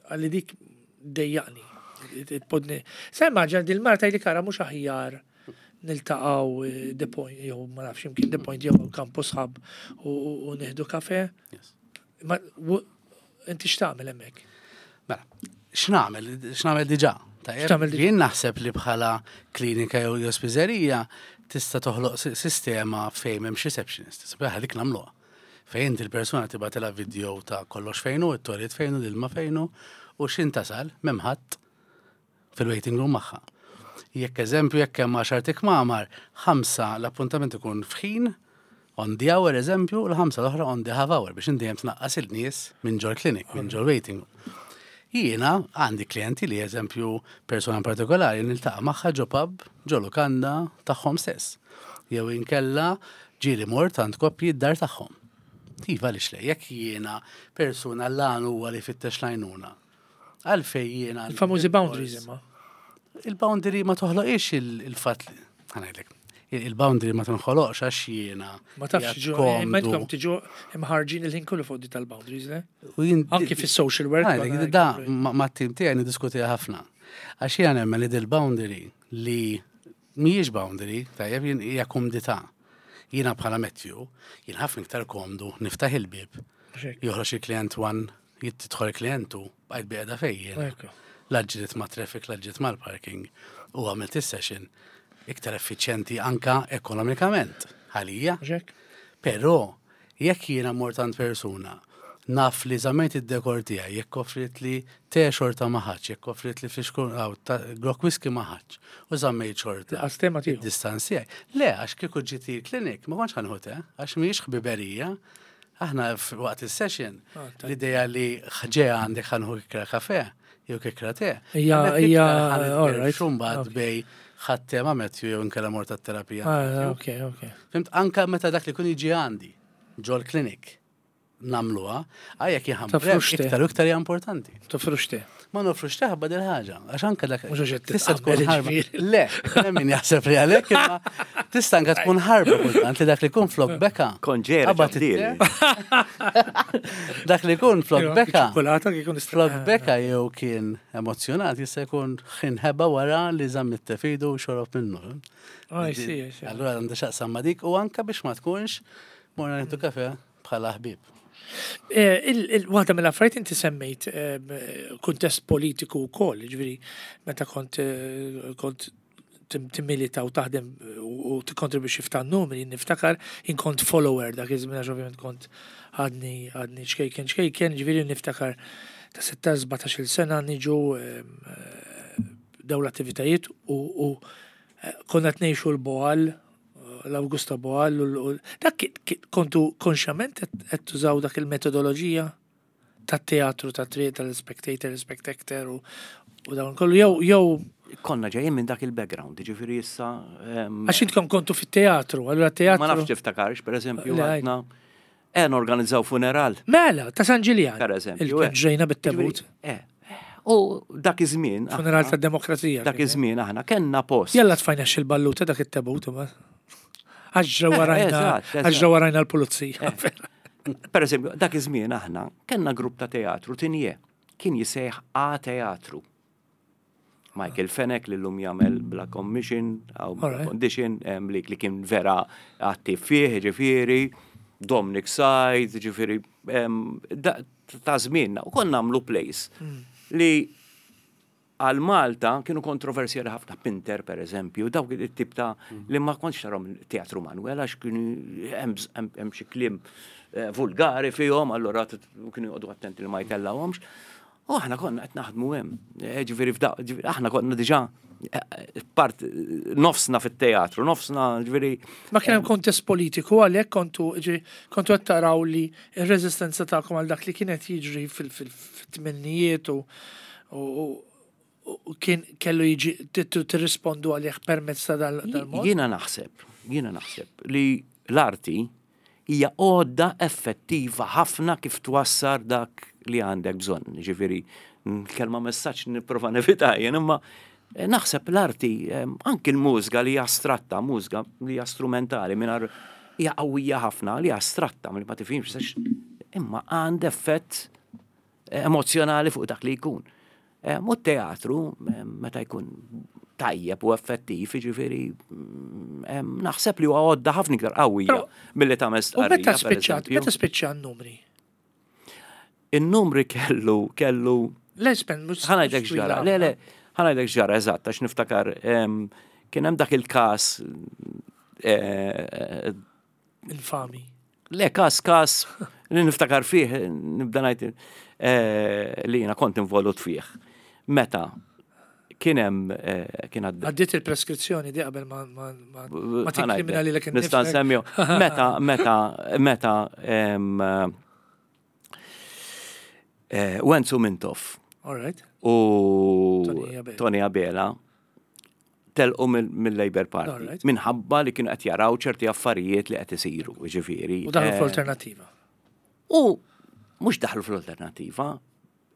għalli dik dejjaqni. Tpodni. Sa immaġina dil-mara tgħidli kara mhux aħjar niltaqgħu eh, The Point, jew ma nafx imkien The Point jew Campus Hub u u- u nieħdu kafe. Yes. Ma w- inti x'tagħmel hemmhekk? Mela, x'nagħmel? X'nagħmel diġà? Tajjeb, X'tagħmel diġà? Jien naħseb li bħala klinika jew jew spiżerija tista' toħloq si- sistema fejn m'hemmx receptionist. Sabiħ dik nagħmluha. Fejn inti l-persuna tibgħatilha video ta' kollox fejnu, it-toilet fejnu, l-ilma fejnu, u x'in tasal m'hemm ħadd fil-waiting room magħha. Jekk eżempju, jekk hemm għaxar ikmamar, ħamsa l-appuntament ikun f'ħin, on the hour eżempju, l-ħamsa l-oħra on the half hour biex inti tnaqqas il-nies minn ġol clinic, minn ġol waiting. Jiena għandi klienti li eżempju persona partikolari niltaqa' magħha ġo pub, ġo lukanda tagħhom stess. Jew inkella ġieli mort għand koppji d-dar tagħhom. Iva għaliex le, jekk jiena persuna l-għan huwa li fittex l-għajnuna. Għalfej jiena. Il-famużi boundaries imma. Il-boundary ma toħloqix il-fatt li, ħa ngħidlek, il-boundary ma tinħoloqx għax jiena. Ma tafx qiegħed ġu, komdu. ma intkom tiġu imħarġin il-ħin kollu fuq di tal-boundaries, le? U jien- Anki fis-social work. Għajdlek, konna- da, ma ma t-tim tiegħi niddiskutiha ħafna. Għax jiena nemmen li dil-boundary li mhijiex boundary, tajjeb jien hija komdità. Jiena bħala Matthew, jien ħafna iktar komdu niftaħ il-bib, Xek. joħroġ il-klient one, jidħol il-klientu, bqajt bilqiegħda fejn jien. Ekku. La ġġilidt ma' traffic, la ġġilidt mal-parking u għamilt is-session iktar effiċjenti anka ekonomikament. Għalija. Xek. Però, jekk jiena mort għand persuna, naf li żammejt id-dekor tiegħi, jekk offrit li te xorta ma ħadx, jekk offrit li flixkun aw ta' grokk whisky ma ħadx, u żammejt xorta. Lanqas te ma tieħu. Id-distanz tiegħi. Le, għax kieku ġiet il-klinik, ma kontx ħa nieħu te, għax mhijiex ħbiberija. Aħna f- waqt il-session, Ah, tajjeb. l-ideja li ġeja għandek ħa nieħu kikra kafe, jew kikra te. Hija- Hemmhekk hija- iktar ħa all right. Xumbad Ok. bej ħadd tema Matthew jew inkella mort terapija. Ah, ok, ok. Fhimt, anka meta dak li kun jiġi għandi, ġol klinik, nagħmluha, għajja kien Toffrux te. iktar u iktar hija importanti. Toffrux te. Ma nofrux teħba dil ħaġa, għax anka dak. Mhux għax qed Tista' tkun titqabbel ħarba. ġifieri. Le, hemm min jaħseb li għalhekk imma tista' anka tkun ħarba kultant li dak li kun flok beka. Konġera Qabad ġabdili. it-te. Dak li kun flok beka. Ċokolata kikun Flok beka jew kien emozjonat jista' jkun ħinħeba wara li żamm it-tefidu u xorob minnu. Ah, I see, I see. Allura għandha x'taqsam ma' dik u anka biex ma tkunx morna nieħdu kafe bħala ħbib. Eh, il- il- Waħda mill-affarijiet inti semmejt eh, kuntest politiku wkoll, ġifieri meta kont eh, kont tim- timmilita u taħdem u u tikkontribwixxi f'ta' numri, niftakar jien kont follower dak iż-żmien għax ovvjament kont għadni għadni ċkejken ċkejken, ġifieri niftakar ta' sittax sbatax-il sena niġu em, eh, daw l-attivitajiet u u, eh, konna tnejxu l-Boal, l-Augusta Boal, u l- dak ki- ki- kontu konxjament qed tużaw dak il-metodoloġija tat-teatru, tat-triq, tal-spectator, spectator u u dawn kollu jew jew Konna ġejjin minn dak il-background, ġifieri issa. em, għax intkom kontu fit-teatru, allura teatru. Ma nafx tiftakarx, per eżempju, Le, għadna eh, organizzaw funeral. Mela, ta' San Ġiljan. Per eżempju, Il-kien eh. ġejna bit-tebut. Ġifieri, Eh, u dak iż-żmien. aħna- Funeral tad-demokrazija. Dak kien, eh? iż-żmien aħna kellna post. Jalla tfajna xil-balluta dak it-tebut. imma. Għax ġraw Eh, warajna, eżatt, eżatt. għax ġraw warajna l-pulizija. Per eżempju, dak iż-żmien aħna kellna grupp ta' teatru tinje kien jisejħ A Teatru. Michael Fenech li llum jagħmel Bla Commission aw Bla Alright. Condition em, li, li kien vera attiv fih, ġifieri, Dominic Said, ġifieri, em, da- ta' żmienna u konna nagħmlu plays li għal Malta kienu kontroversjali ħafna Pinter per eżempju, dawk it-tip ta' li ma kontx tarahom teatru Manuel għax kienu hemm hemm- hemm xi kliem eh, vulgari fihom, allura t- kienu joqogħdu attenti li ma jtellawhomx. U aħna konna qed naħdmu hemm. Eh, Ġifieri f'da, ġifieri aħna konna diġà eh, part nofsna fit-teatru, nofsna ġifieri Ma kien hemm kontest politiku għalhekk kontu ġi- kontu qed taraw li r-reżistenza tagħkom għal dak li kienet jiġri fil-tmennijiet u u- u kien kellu jiġi tittu tirrispondu għalih permezz ta' dal- dal-mod. Jiena naħseb, jiena naħseb li l-arti hija għodda effettiva ħafna kif twassar dak li għandek bżonn. Ġifieri, kelma messaġġ nipprova nevita jien, imma eh, naħseb l-arti, eh, anki l-mużika li hija astratta, mużika li hija strumentali mingħajr hija qawwija ħafna li hija astratta li ma tifhimx sax- imma għand effett eh, emozjonali fuq dak li jkun. Eh, Mu teatru, eh, meta jkun tajjeb u effettiv, ġifieri, mm, em, naħseb li huwa għodda ħafna iktar qawwija Però- milli tagħmel U stqarrija. meta per spiċċat, eżempju. meta spiċċa n-numri? In-numri kellu, kellu, Le, spen, mhux ħa ngħidlek ġara, le, le, ħa ngħidlek ġara, eżatt, għax niftakar, em, kien hemm dak il-każ, eh, Infami. Le, kas, kas, li niftakar fih, nibda ngħid eh, li jiena kont involut fih. Meta Kien hemm eh, kien għadda. Għaddiet il-preskrizzjoni di qabel ma ma ma ma tikkriminali lek Nista' nsemmihu. Meta, meta, meta em, eh, Wenzu Mintoff All right. u Tony Abela. Tony Abela telqu mill- mill-Labour Party Alright. minħabba li kienu qed jaraw ċerti affarijiet li qed isiru, ġifieri. U daħlu eh, fl-alternativa. U mhux daħlu fl-alternativa,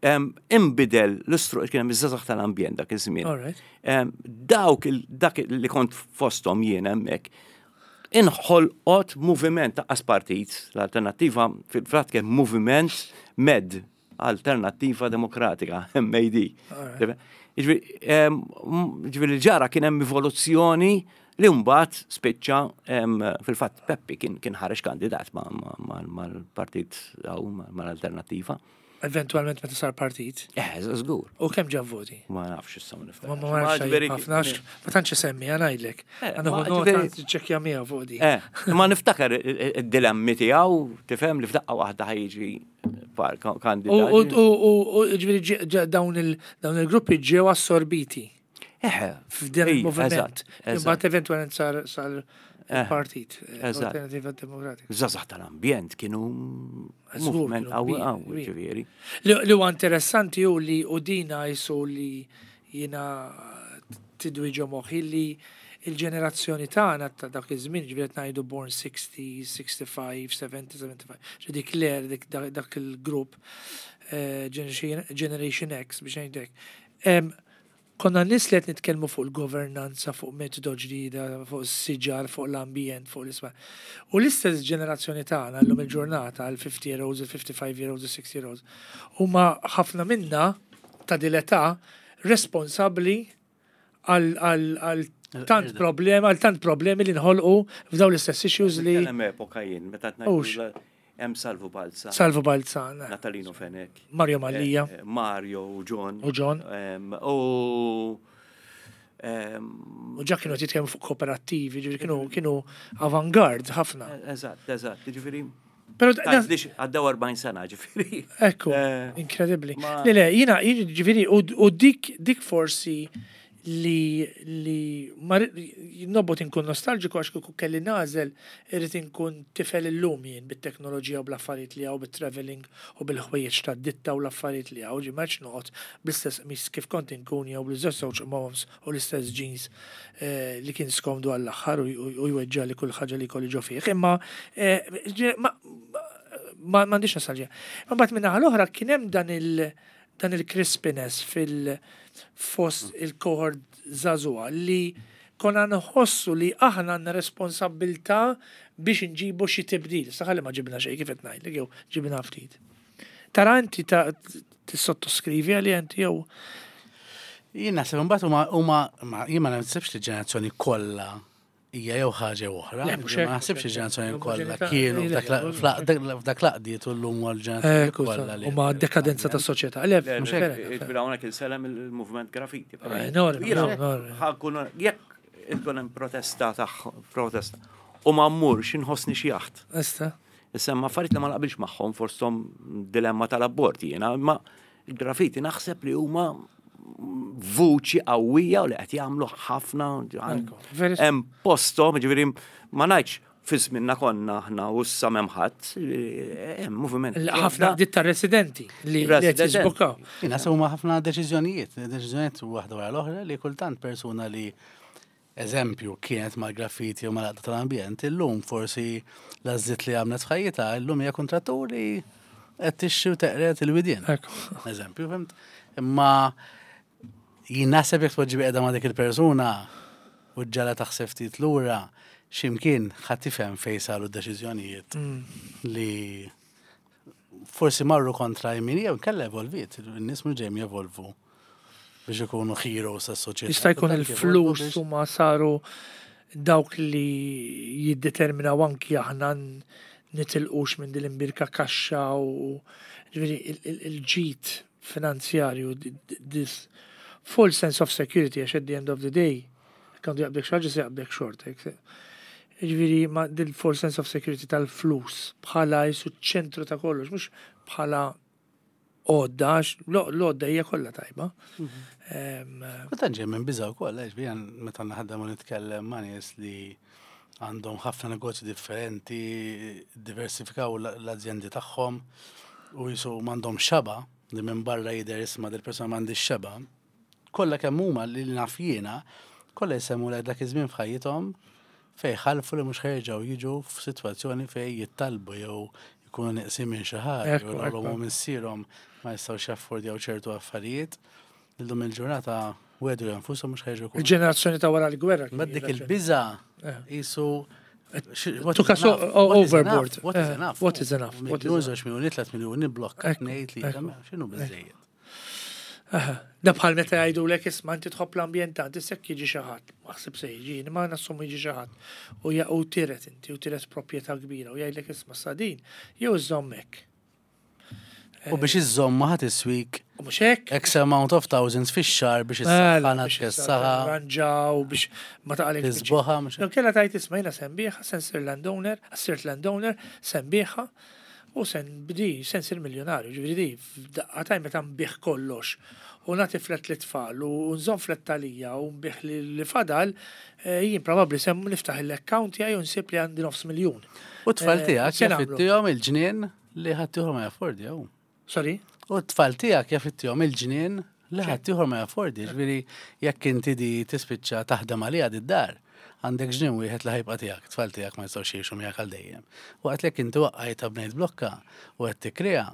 em, imbidel l-istru kien hemm iż-żgħażagħ tal-ambjent dak iż-żmien. All right. Em, Dawk il- dak li kont fosthom jien hemmhekk, inħolqot moviment ta' partit, l-alternativa fil-fatt kien moviment MED, Alternativa Demokratika, M A D. Alright. Ġifieri, em, m- ġifieri l-ġara kien hemm evoluzzjoni li mbagħad spiċċa em, fil-fatt Peppi kien kien ħareġ kandidat ma- ma- ma- mal-partit aw mal-alternativa. Eventualment meta sar partit. Eh, żgur. U kemm ġab voti? Ma nafx issa ma niftakar. Ma ma nafx ġifieri- ħafna, ma tantx semmi, ngħidlek. Eh, Għandu ma nota ġifieri- ċekkja miegħu fuq di. Eh, ma niftakar id-dilemmi tiegħu, tifhem li f'daqqa waħda ħa jiġi par U u kandidat. u u u ġifieri ġe- ġe- dawn il dawn il-gruppi ġew assorbiti Eh, f'dan ej, il-moviment. eżatt, eżatt. Imbagħad eventualment sar sar Eh, il-partit, eh, eżatt. Alternativa Demokratika. Żgħażagħ tal-ambjent kienu Żgur, movement kienu qawwi kbir, qawwi, kbir. ġifieri. Li li huwa interessanti hu li u dina jisu li jiena tidwi ġo moħħi li il-ġenerazzjoni tagħna ta' dak iż-żmien, ġifieri qed ngħidu born sixty, sixty-five, seventy, seventy-five, ġi dik l-er dik dak dak il-grupp eh, Generation Generation X biex ngħidlek. Em, Konna nies li qed nitkellmu fuq il-governanza, fuq metodo ġdida, fuq is-siġar, fuq l-ambjent, fuq l-isma. U l-istess ġenerazzjoni tagħna llum il-ġurnata, il-fifty year olds, il-fifty-five year olds, il-sixty year olds, huma ħafna minna ta' dil-età responsabbli għal għal għal tant problemi, għal tant problemi li nħolqu f'daw l-istess issues li Hemm epoka jien, meta Ux. ngħidu hemm Salvu Balza, Salvu Balzan, Natalino Fenech, Mario Mallia, eh, Mario u John. U John. Em, U em, U ġa kienu jitkellmu fuq kooperattivi, ġifieri kienu kienu avangard ħafna. Eżatt, eżatt, ġifieri. Però Tgħidlix għaddew erbgħin sena, ġifieri. Ekku, Eh, inkredibli. ma- Le, le, jina, ġifieri, u u dik, dik forsi li li ma nobbot inkun nostalġiku għax kieku kelli nagħżel irrid inkun tifel illum jien bit-teknoloġija u bl-affarijiet li hawn, bit-traveling u bil-ħwejjeġ ta' ditta u l-affarijiet li hawn, ġi maċ noqgħod bl-istess qmis kif kont inkun jew bl-istess żewġ moms u l-istess jeans eh, li kien skomdu għall-aħħar u u jweġġa li kull ħaġa li kolli ġo fih. Imma eh, ġi- ma ma m'għandix nostalġija. Ma mbagħad minn naħa l-oħra kien hemm dan il dan il-crispiness fil fost il-cohort żagħżugħa li konna nħossu li aħna għandna responsabbiltà biex nġibu xi tibdil. Saħalli ma ġibna xejn kif qed ngħidlek jew ġibna ftit. Tara inti ta' tissottoskrivi għalli inti jew Jien naħseb imbagħad huma huma ma- jien ma naħsibx li ġenerazzjoni kollha hija jew ħaġa jew oħra. Le, mhux Ma hekk, naħsibx li ġenerazzjoni kollha Omogenità, kienu le, f'dak la- le, fla- dak- f'dak l-għaqdiet u llum huwa l-ġenerazzjoni Ekku, kollha li. u ma dekadenza ta' soċjetà. Le, Le, mhux le, hekk. Ġifieri hawnhekk insellem il-movement graffiti. Enormi, Jiena enormi. ħa nkun jekk ikun hemm protesta tagħhom, protesta. U ma mmurx inħossni xi jaħt. Ista. Issa ma affarijiet li ma naqbilx magħhom fosthom dilemma tal-abort jiena, ma il-graffiti naħseb li huma vuċi qawwija u li qed jagħmlu ħafna Ekku, very- hemm posthom, ġifieri ma ngħidx fi żminna konna aħna u issa m'hemm ħadd, hemm moviment. Ħafna ditta residenti li li qed Residenti. jiżbukkaw. Jien naħseb huma ħafna deċiżjonijiet, deċiżjonijiet waħda wara l-oħra li kultant persuna li eżempju kienet mal-graffiti u mal-għaqda tal-ambjent, illum forsi l-għażliet li għamlet f'ħajjitha, illum hija kontrattur li qed tixxi u teqret il-widien. Ekku. Eżempju, fhimt? Imma jien naħseb jekk tpoġġi qiegħda ma' dik il-persuna u ġala taħseb ftit lura x'imkien ħadd tifhem fejn saru d-deċiżjonijiet li forsi marru kontra jmin jew kella evolviet, in-nies mhux dejjem jevolvu biex ikunu heroes tas-soċjetà. Jista' jkun Kultant jevolvu il-flus biex- huma saru dawk li jiddeterminaw anki aħna n- nitilqux minn din l-imbirka kaxxa u ġifieri il- il- il-ġid finanzjarju, di- di- this full sense of security, għax at the end of the day għandu jaqbdek xi ħaġa se jaqbdek xorta. Ġifieri ma dil full sense of security tal-flus bħala jisu ċentru ta' kollox, mhux bħala għodda, għax l-għodda hija kollha tajba. Em, Kultant ġej minn biża' wkoll, għax bijan meta naħdem u nitkellem ma' nies li għandhom ħafna negozji differenti, diversifikaw l- l-azjendi tagħhom u jisu m'għandhom xaba, li minn barra jidher isma' dil-persuna m'għandix xaba. Kollha kemm huma li naf jiena, kollha jsemmu lek dak iż-żmien f'ħajjithom fej ħalfu li mhux ħa jerġgħu jiġu f'sitwazzjoni fej jittalbu jew jkunu neqsin minn xi ħaġa, Ekku, jew ekku. l missierhom ma jistgħux jaffordjaw ċertu affarijiet. Illum il-ġurnata wegħdu nfushom mhux ħa jerġgħu jkunu. Il-ġenerazzjoni ta' wara l-gwerra. kien Mbagħad dik raġuni. il-biża' Eh. jisu Took us o- overboard. What is Eh, enough? what is enough? What is Miljun, żewġ miljuni, tliet miljuni, blokka, Ekku, tnejn, tlieta, ekku. x'inhu biżejjed. Aha. Da bħal meta jgħidu lek isma' inti tħobb l-ambjent inti sekk jiġi xi ħadd, maħsib se jiġi, ma nassumu jiġi xi ħadd. U ja- u tiret inti u tiret proprjetà kbira u jgħidlek isma' sadin, jew iżommek. U biex iżomma ħadd iswik U mhux hekk? X amount of thousands fix-xahar biex Mela, issaħħana biex tkessaħa, Ranġaw biex ma taqalek. tisboħa, mhux No, kella tajt isma' jiena se nbigħha, se nsir landowner, sirt landowner, se nbigħha u se nbdi, se nsir miljonarju, ġifieri di, f'daqqa taj meta nbigħ kollox u nagħti flat lit-tfal u nżomm flat talija u nbigħ li li fadal, eh, jien probabbli sem niftaħ l-account tiegħi u nsib li għandi nofs miljun. U t-tfal Eh, tiegħek se nagħmlu? jaf ittihom il-ġnien li ħadd ma jaffordjaw. Sorry? U t-tfal tiegħek jaf ittihom il-ġnien li ħadd ma jaffordi. Ġifieri jekk inti di tispiċċa taħdem għalija d-dar, għandek ġnien wieħed li ħa jibqa' tiegħek, tfal tiegħek ma jistgħux jgħixu miegħek għal dejjem. Waqt li jekk inti waqqajta bnejt blokka u qed tikkrea,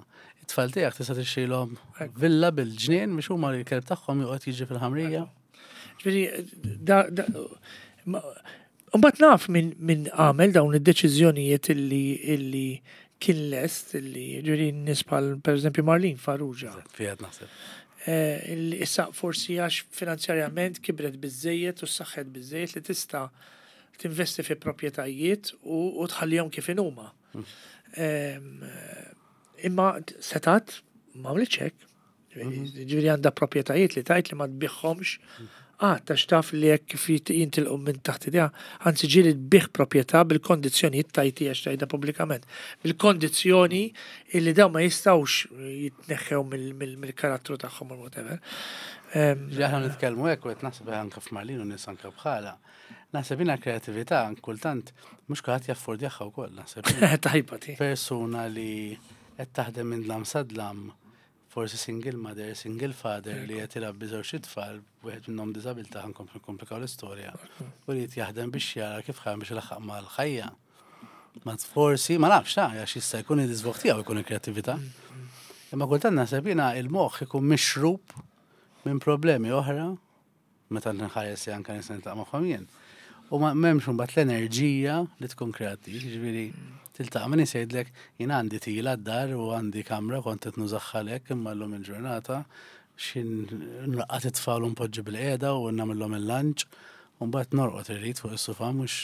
it-tfal tiegħek tista' tixtrilhom villa bil-ġnien biex huma l-kelb tagħhom joqgħod jiġi fil-ħamrija. Ġifieri, da, da, ma- Mbagħad naf min min għamel dawn id-deċiżjonijiet illi illi kien lest illi ġifieri nies bħal pereżempju Marlene Farrugia. Fiat naħseb. Eh, illi issa forsi għax finanzjarjament kibret biżejjed u saħħet biżejjed li tista' tinvesti fi proprjetajiet u, u tħallihom kif inhuma. Em, eh, Imma setat ma għamlitx hekk. Ġifieri għandha proprjetajiet li tajt li ma tbigħhomx. Ah, tax taf li jekk kif jit- jintilqu minn taħt idea, anzi ġieli tbigħ proprjetà bil-kondizzjoni tajti għax tajda pubblikament, bil-kondizzjoni illi dawn ma jistgħux jitneħħew mill- mill- mill-karattru tagħhom or whatever. Em, Ġi aħna nitkellmu hekk u qed naħseb anke f'Marlene u nies anke bħala. Naħseb jiena kreatività kultant mhux kulħadd jaffordjaha wkoll naħseb. jiena Tajba ti. Persuna li qed taħdem minn dlam sa dlam, forsi single mother, single father li qed irabbi żewġ itfal, wieħed minnhom diżabilità ħa nkomplu komplikaw l-istorja. U li qed jaħdem biex jara kif ħa biex ilaħħaq mal-ħajja. Ma forsi, ma nafx, ta' għax jista' jkun id-iżvog tiegħu jkun il-kreattività. Imma kultant naħseb jiena il-moħħ ikun mixrub minn problemi oħra, meta nħares li anke nista' niltaqa' magħhom jien. U ma m'hemmx imbagħad l-enerġija li tkun kreattiv, jiġifieri tiltaqa' min jgħidlek jien għandi tila d-dar u għandi kamra kont qed nużaħħalek imma llum il-ġurnata xin nraqqad it-tfal u npoġġi bil-qiegħda u nagħmilhom il-lunch u mbagħad norqod irrid fuq is-sofa mhux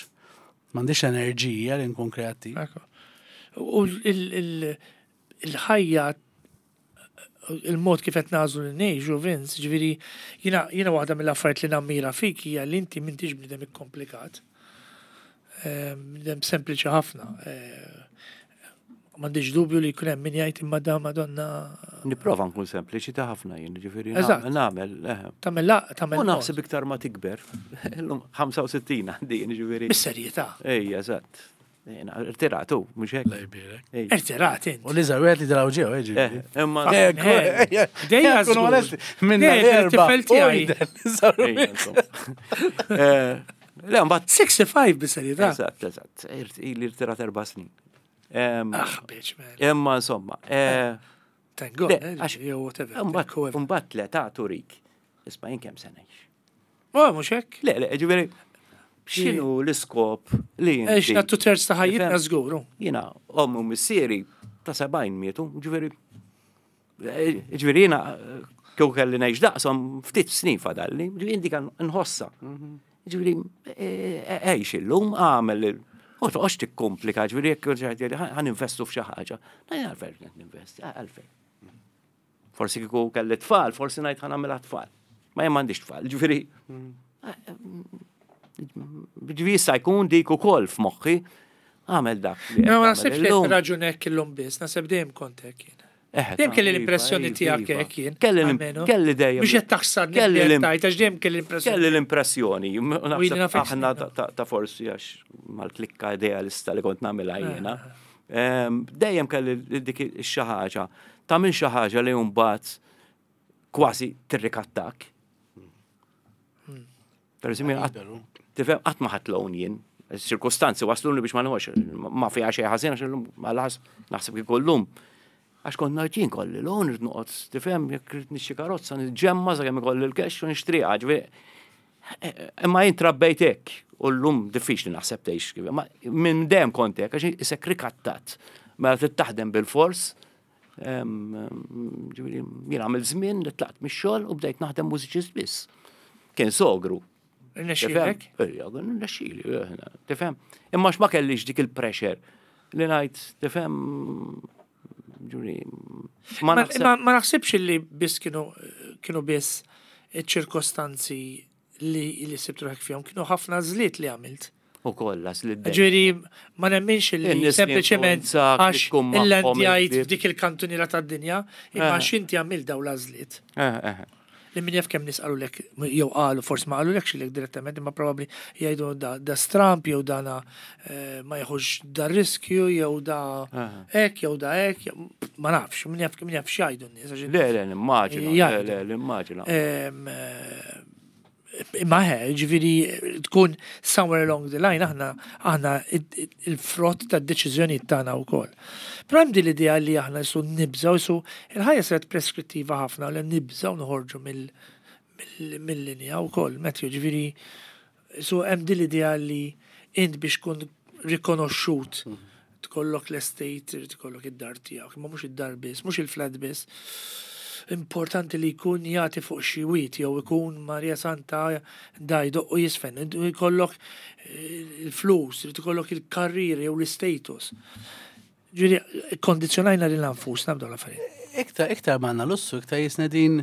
m'għandix enerġija li nkun kreattiv. Ekku. U il- il- il-ħajja il-mod kif qed nagħżlu li ngħixu Vince, ġifieri jiena jiena waħda mill-affarijiet li nammira fik hija li inti m'intix bniedem ikkomplikat. Eh, Bniedem sempliċi ħafna. Eh, M'għandix dubju li jkun hemm min jgħid imma da Madonna Nipprova nkun sempliċi ta' ħafna jien, ġifieri Eżatt. nagħmel. eh. tagħmel la tagħmel U naħseb iktar ma tikber. Illum ħamsa u sittin għandi jien, ġifieri. Bis-serjetà. Ejja, eżatt. Jiena Irtiratu, mhux hekk. La jbierek. Ejja. Irtirat int. U li żgħar wieħed li draw ġew, ġifieri. Eh, Imma Fucking hell. Dejja Kunu żgur. onesti, minna Dejja, l-erba. it-tifel tiegħi. Ejja, insomma. Eh, Le, mbagħad sittin bis-serjetà. Eżatt, eżatt. Irt- Ili irtirat erba' snin. Em, Ah, bitch, man. Imma insomma, eh, Thank God, Le, eh, għax- jew whatever. Mbagħad whoever. mbagħad l-età turik. Isma' jien kemm se ngħix. Oh, mhux hekk. Le, le, ġifieri x'inhu l-iskop li Ex inti? two thirds ta' ħajjitna Ifhem? żguru. Jiena ommi u missieri ta' sebgħin mietu, ġifieri eh, ġifieri jiena eh, kieku kelli ngħix daqshom ftit snin fadalli, ġifieri inti kan nħossa. Ġifieri eh, għix illum għamel il- U toqgħodx tikkomplika, ġifieri jekk ħa ninvestu f'xi ħaġa. Na għalfejn qed ninvesti, għalfejn. Forsi kieku kelli tfal, forsi ngħid ħa nagħmilha tfal. Ma jien m'għandix tfal, ġifieri. Ġifieri jista' jkun dik ukoll f'moħħi għamel dak. li qed Ma tagħmel naħsibx li illum. raġun hekk illum biss, naħseb dejjem kont hekk jien. Eħe, Dejjem kelli iva, l-impressjoni iva, tiegħek iva. hekk jien. Kelli l- almenu. kelli dejjem. Biex qed taħsar Kelli l- tajt, għax dejjem kelli l-impressjoni. Kelli l-impressjoni, U jien naħseb nafek aħna snin. ta- ta- ta' forsi għax mal-klikka idealista li kont nagħmilha jiena. Em, Dejjem kelli dik xi ħaġa, ta' minn xi ħaġa li mbagħad kważi tirrikattak. Per eżempju, qatt- Liberu. tifhem qatt ma ħadt loan jien. Ċirkostanzi wasluni biex ma nħox, ma fiha xejn ħażin għax illum għal naħseb kieku llum. Għax kont ngħid jien kolli loan irid noqgħod tifhem jekk irid nixtri karozza niġġemma sakemm ikolli l-cash u nixtriha, ġifieri. Imma jien trabbejt hekk u llum diffiċli naħseb tgħix kif. Ma minn dejjem kont hekk għax isek rikattat. Mela trid taħdem bil-fors. Em, em, Ġifieri jien għamil żmien li tlaqt mix-xogħol u bdejt naħdem mużiċist biss. Kien sogru. Irnexxielek? Ejja, nexxieli, tifhem. Imma ma kellix dik il-pressure li ngħid, tifhem, ġuri, ma Ma naħseb. ma- ma naħsibx li biss kienu kienu biss iċ-ċirkostanzi li li sibt ruħek fihom, kienu ħafna żliet li għamilt. U kollha li Ġifieri ma nemminx li In-nies li sempliċement influenzak, li għax tkun magħhom il-landjajt il-ħbieb. f'dik il-kantuniera tad-dinja, imma Eh. għax inti għamilt daw l-għażliet. Eh, eh. Li min jaf kemm nies qalulek, jew qalu, forsi ma qalulekx lilek direttament, imma probabbli jgħidu da, da stramp, jew dana eh, ma jieħux da riskju, jew da hekk, jew da hekk, jew- ma nafx, min jaf min jaf x'jgħidu n-nies. għax Le, le, nimmaġina, le, Jgħidu. le, nimmaġina. Em, eh, Imma he, ġifieri tkun somewhere along the line, aħna aħna id- il-frott ta' deċiżjoni tagħna wkoll. Però hemm din l-idea li aħna jisu nibżgħu, jisu il-ħajja saret preskrittiva ħafna li nibżgħu noħorġu mill- mill- mill-linja wkoll, Matthew, ġifieri so hemm din l-idea li int biex tkun rikonoxxut tkollok l-estate, irid ikollok id-dar tiegħek, imma mhux id-dar biss, mhux il-flat biss. Importanti li jkun jagħti fuq xi wied jew ikun Maria Santa da jdoq u jisfen, jkollok eh, il-flus, irid ikollok il-karriera jew l-status. Ġifieri, kondizjonajna lil nfusna b'dawn l-affarijiet. Iktar, iktar ma għandna lussu, iktar jisna din,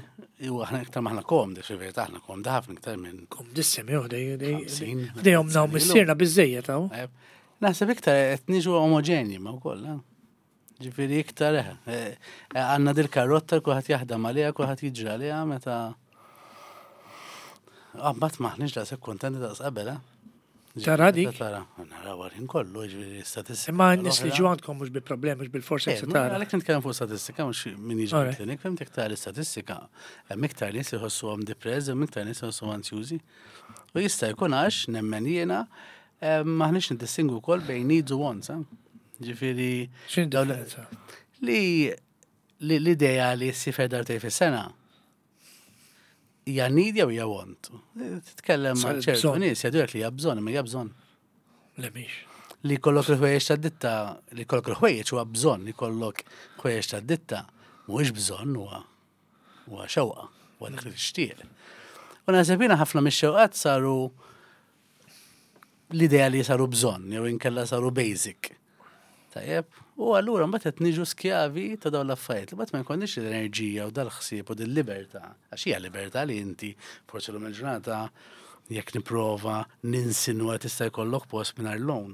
u aħna iktar maħna komdi, xi aħna komdi ħafna iktar minn. Kom dissem, jew dej dej Ħamsin, dejhom naw snin ilu. missierna biżejjed hawn. Tajjeb. Naħseb iktar qed niġu omogenji ma wkoll, eh? Ġifieri iktar eh, eh, għandna dil karotta kulħadd jaħdem għaliha, kulħadd jiġri għaliha meta Ah, mbagħad maħniex daqshekk kuntenti daqs qabel, eh? Ġifieri, Tara dik? meta Tara, naraw għal kollu, ġifieri statistika. Imma n-nies li l-oħra. ġew għandkom mhux bi problemi, mhux bil-forsi Eh, se ma tara. Għalhekk nitkellem fuq statistika, mhux min jiġi Alright. klinik, fhimt iktar l-istatistika. Hemm iktar nies li jħossuhom depressed, hemm iktar nies li jħossuhom ansjużi. U jista' jkun għax nemmen jiena eh, maħniex niddistingu wkoll bejn needs u wants. eh. Ġifieri X'inhi dawn- differenza? li li l-idea li ssifer darbtejn fis-sena hija need jew hija want. Titkellem ma' Sal- ċertu bżonn. nies jgħidulek li hija bżonn, imma hija bżonn Le mhix. li jkollok il-ħwejjeġ ta' ditta, li jkollok il-ħwejjeġ huwa bżonn, li jkollok ħwejjeġ ta' ditta mhuwiex bżonn huwa huwa xewqa, huwa dak li tixtieq. U naħseb jiena ħafna mix-xewqat saru l-idea li saru bżonn jew inkella saru basic. Tajjeb, u allura mbagħad qed niġu skjavi ta' dawn l-affarijiet. Li mbagħad ma jkollniex l-enerġija u dal-ħsieb u dil-libertà. Għax hija libertà li inti forsi lum il-ġurnata jekk nipprova ninsinwa tista' jkollok post mingħajr loan.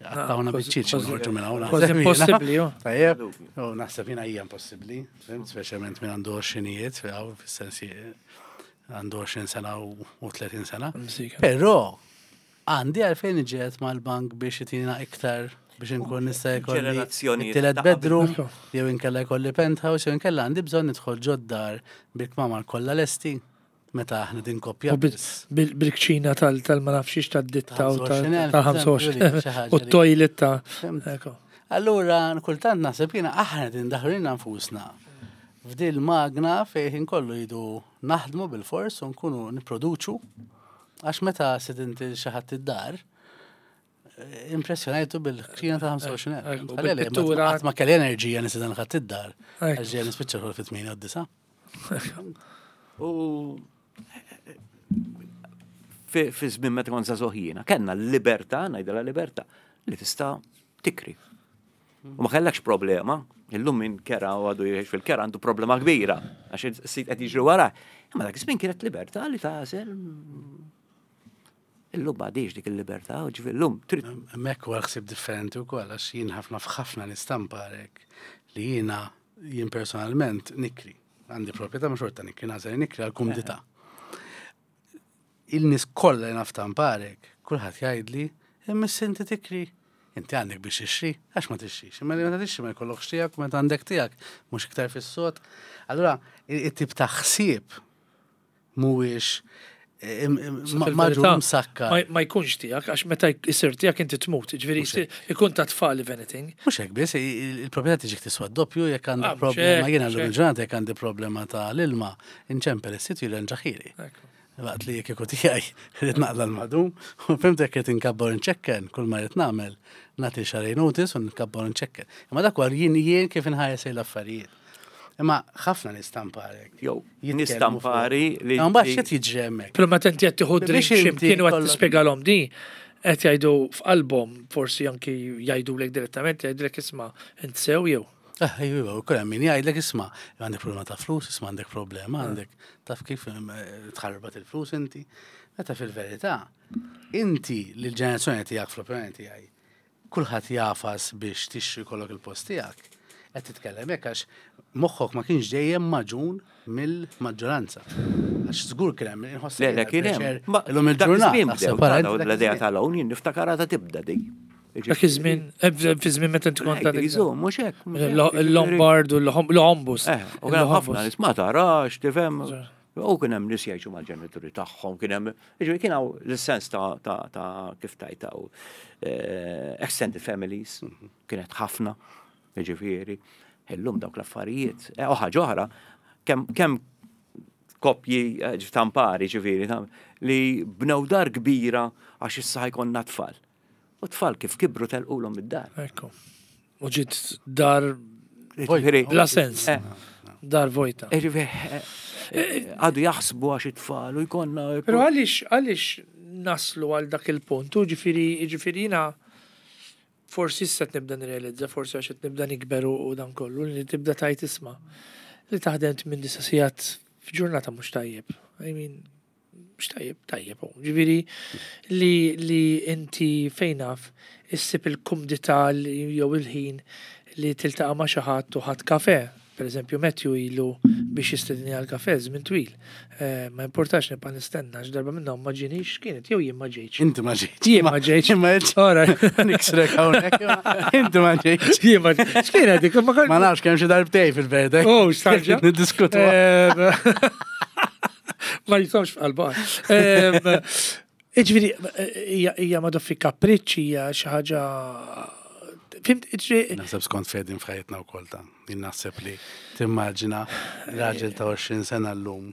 Għattawna kważi- biċċiċ kważi- noħorġu minn hawn. kważi naħseb jiena. impossibbli, jo. Tajjeb, u naħseb jiena hija impossibbli, fhimt, speċjalment minn għandu għoxrinijiet, hawn fis-sensi għandu għoxrin sena u u tletin sena. Msika. Però għandi għalfejn iġiet mal-bank biex jitina iktar biex inkun nista' jkolli Ġenerazzjonijiet it-tielet ta' qabel. bedroom, Ekku. jew inkella jkolli penthouse, jew inkella għandi bżonn nidħol ġod-dar bil-kmamar kollha lesti meta aħna din koppja U bil- biss. bil- Bil-kċina tal- tal-ma nafxiex tad-ditta u Ta' tal-ħamsa tal-ħamsa xi ħaġa u li- t-toilet ta' Fhimt? Ekku. Allura, kultant naħseb jiena aħna din daħrina nfusna f'dil magna fejn kollu jidu naħdmu bil-fors u nkunu niproduċu għax meta sidint xi ħadd id-dar eh, impressjonajtu bil-kċina ta' ħamsa u għoxrin elf. Ekku, Għalli, ma- bil-pittura. Qatt ma kelli enerġija nisidan ħadd id-dar. Ekku. Għax ġej nispiċċa xogħol fit-tmienja u d-disa. U fi fi żmien meta kont żagħżugħ jiena, kellna l-libertà, ngħidilha libertà, li tista' tikri. U ma kellekx problema, illum min kera u għadu jgħix fil-kera għandu problema kbira, għax is-sit qed jiġri wara. Imma dak iż-żmien kienet libertà li tagħżel. Illum m'għadix dik il-libertà, u ġifieri llum trid Hemmhekk huwa ħsieb differenti wkoll għax jien ħafna f'ħafna nistampa għalhekk li jiena Jien personalment nikri. Għandi proprjetà ma xorta nikri, nagħżel nikri għal-kumdità. Il-nies kollha li naf tamparek, kulħadd jgħidli, imma inti tikri. Inti għandek biex tixtri, għax ma tixtrix. Imma li meta tixtri ma jkollokx tiegħek, meta għandek tiegħek, mhux iktar fis-sod. Allura, it-tip ta' ħsieb mhuwiex maġu msakka. Ma jkunx tiegħek, għax meta jsir tiegħek inti tmut, ġifieri ikun ta' tfal if anything. Mhux hekk biss, il-proprjetà tiġik tiswa doppju jekk għandek problema, jiena llum il-ġurnata jekk għandi problema ta' l-ilma, inċempel is-sit jirranġahieli. Waqt li jekk ikun tiegħi rrid naqla l-madum, u fhimt jekk qed inkabbar nċekken, kull ma rrid nagħmel, nagħti xahrejn notice u nkabbar nċekken. Imma dak jien jien kif inħares l-affarijiet. Imma ħafna nies tamparek. Jew, nies tampari li. Mbagħad x'qed jiġri hemmhekk. Però meta inti qed tieħu drink x'imkien u qed tispjegalhom di, qed jgħidu f'qalbhom forsi anki jgħidulek direttament, jgħidulek isma' int sew jew. Eh, ejju, u kull min jgħidlek isma' għandek problema ta' flus, isma' għandek problema, għandek taf kif tħarbat il-flus inti. Meta fil-verità, inti l-ġenerazzjoni tiegħek fl-opinjoni tiegħi, kulħadd jafas biex tixtri kollok il-post tiegħek. Qed titkellem hekk għax moħħok ma kienx dejjem magħġun mill-maġġoranza. Għax żgur kien hemm inħoss. Le, le, kien hemm. Illum il-ġurnata. L-idea tal-hawn jien niftakarha ta' tibda di. Dak iż-żmien, fi żmien meta inti kont għadek. Mhux hekk. Il-Lombard u l-Ombus. U kien ħafna nies ma tarax, tifhem. U kien hemm nies jgħixu mal-ġenituri tagħhom, kien hemm, jiġifieri kien hawn l-sens ta' kif tajtaw extended families, kienet ħafna, jiġifieri. Illum dawk l-affarijiet. U ħaġa oħra, kemm koppji tampari ġifieri li bnew dar kbira għax issa ħajkonna tfal. U tfal kif kibru telqulhom id-dar. Ekku. U ġiet dar bla sens. Dar vojta. Għadu jaħsbu għax it-tfal u jkollna. Però għaliex għaliex naslu għal dak il-punt, u ġifieri ġifieri jiena forsi issa nibda nirrealizza, forsi għax qed nibda nikber u dan kollu, li tibda tajt isma' li taħdem minn disa sigħat f'ġurnata mhux tajjeb. I mean, mhux tajjeb, tajjeb. Ġifieri li li inti fejn naf issib il-kumdità jew il-ħin li tiltaqa' ma' xi ħadd u ħadd kafe. Per eżempju, Matthew ilu biex jistedini għal kafe żmien twil. Ma importax nibqa' nistenna għax darba minnhom ma ġienix kienet jew jien ma ġejtx. Inti ma ġejtx. Jien ma ġejtx. Ma ġejtx. Niksrek hawnhekk. Inti ma ġejtx. Jien ma ġejtx. X'kienet dik? Ma nafx kemm xi darbtej fil-verda. Oh, x'tarġa. Niddiskutu. Ma jisomx f'qalba. Iġifieri hija ma doffi kapriċċi hija xi ħaġa. Fimt, Naħseb skont fedin f'ħajjitna wkoll ta' jien naħseb li timmaġina raġel ta' għoxrin sena llum,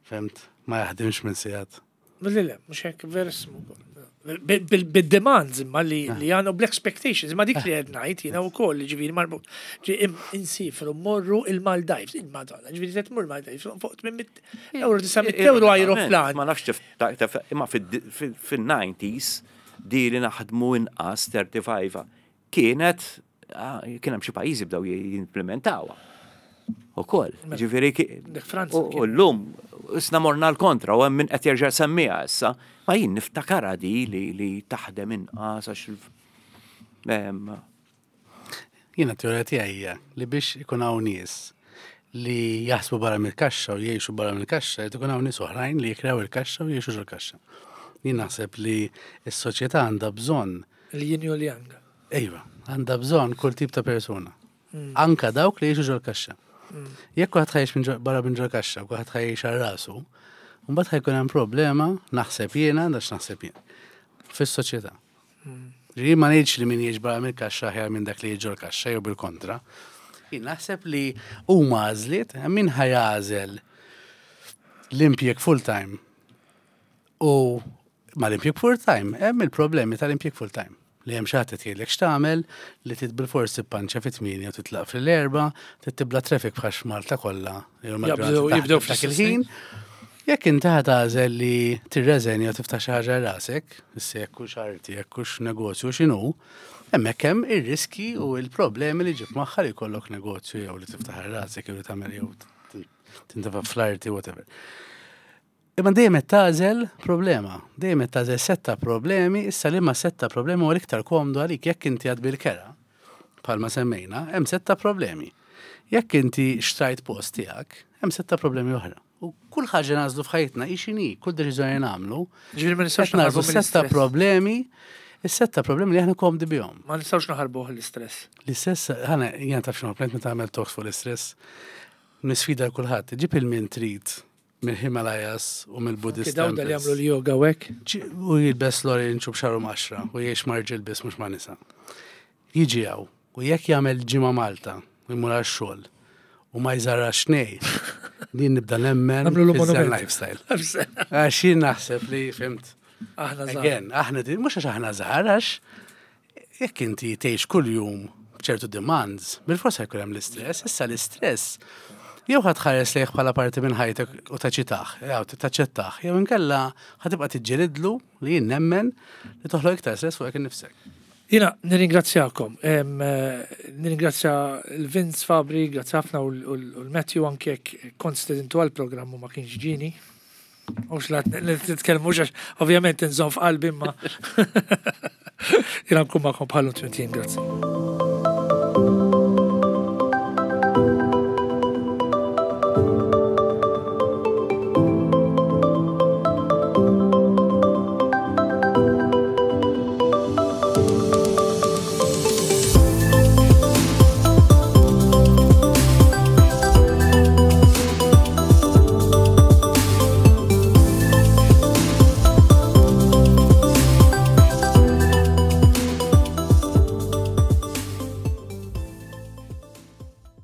fimt, ma jaħdimx minn sigħat. Le, le, mhux hekk verismu. Bil-demands imma li għandhom bl-expectations, imma dik li qed ngħid jiena wkoll, ġifieri marbut. Insifru morru il-Maldives, il-Madonna, ġifieri qed tmur Maldives, fuq tmien mitt euro, disa' mitt euro aeroplan. Ma nafx imma fin-nineties di li naħdmu inqas thirty-five kienet, kien hemm xi pajjiżi bdew jimplementawha. Ukoll, ġifieri u llum isna morna l-kontra u hemm min qed jerġa' semmiha issa, ma jien niftakarha di li taħdem inqas għax Jiena teorija tiegħi hija li biex ikun hawn nies li jaħsbu barra mill-kaxxa u jgħixu barra mill-kaxxa, jrid ikun hawn nies oħrajn li jikkrew il-kaxxa u jgħixu ġol-kaxxa. Jien naħseb li s-soċjetà għandha bżonn il-yin u l-yang. Ejwa, għandha bżonn kull tip ta' persuna. Anka dawk li jgħixu ġol-kaxxa. Jekk kulħadd ħajx barra minn ġol-kaxxa, kulħadd ħajx għal rasu, mbagħad ħajkun hemm problema, naħseb jiena, għax naħseb jien, fis-soċjetà. Ġifieri ma ngħidx li min jgħix barra mill-kaxxa aħjar minn dak li jgħix ġol-kaxxa jew bil-kontra. Jien naħseb li huma għażliet, hemm min ħajgħażel l-impjeg full-time u ma l-impjeg full-time, hemm il-problemi tal-impjeg full-time. Li hemm xi ħadd qed jgħidlek x'tagħmel, li trid bilfors tippanċa fit-tmienja u titlaq fil-erba, trid tibla traffic bħax Malta kollha. Jibdew fl-istess ħin. Jekk inti ħa tagħżel li tirreżenja u tiftaħ xi ħaġa rasek, issa jekk hux arti, jekk hux negozju x'inhu, hemmhekk hemm ir-riski u l-problemi li ġib magħha li jkollok negozju jew li tiftaħ rasek jew li tagħmel jew tintefa' fl-arti whatever. Imma dejjem qed tagħżel problema, dejjem qed tagħżel setta problemi, issa li ma setta problemi huwa l-iktar komdu għalik jekk inti għad bil-kera, bħalma semmejna, hemm setta problemi. Jekk inti xtrajt post tiegħek, hemm sett ta' problemi oħra. U kull ħaġa nagħżlu f'ħajtna hi x'inhi, kull deċiżjoni nagħmlu, Ġifieri ma nistgħux qed nagħżlu naħarbu sett ta' mill-istress. problemi, is-sett ta' problemi li aħna komdi bihom. Ma nistgħux naħarbuh l-istress. L-istress, ħana, jena taf x'inhu, meta tagħmel talks fuq l-istress, nisfida kulħadd, ġib lil min trid mill-Himalayas u mill-Buddhist Daw li temples. jagħmlu l-yoga u hekk. Ġi- U jilbes l-orange u b'xagħru mqaxxar u jgħix ma' rġiel biss mhux ma' nisa. Jiġi hawn, u jekk jagħmel ġimgħa Malta u jmur għax-xogħol u ma jżarrax nej, din nibda nemmen Nagħmlu l fiż-Zen monument. lifestyle. Għax jien naħseb li fhimt. Aħna żgħar. Again, aħna din, mhux għax aħna żgħar, għax jekk inti tgħix kuljum b'ċertu demands, bil-forsa jkun hemm l-istress, issa l-istress jew ħa tħares lejh bħala parti minn ħajtek u taċitaħ, jew taċċettaħ, jew inkella ħa tibqa' tiġġelidlu li jien nemmen li toħloq iktar stress fuqek innifsek. Jiena nirringrazzjakom. Em, eh, Nirringrazzja l-Vince Fabri, grazzi ħafna u l- u l-Matthew anke jekk kont stedintu għal-programm u ma kienx ġini. Mhux la titkellmux għax ovvjament nżomm f'qalbi imma jiena nkun magħkom bħallu tmintien, grazzi.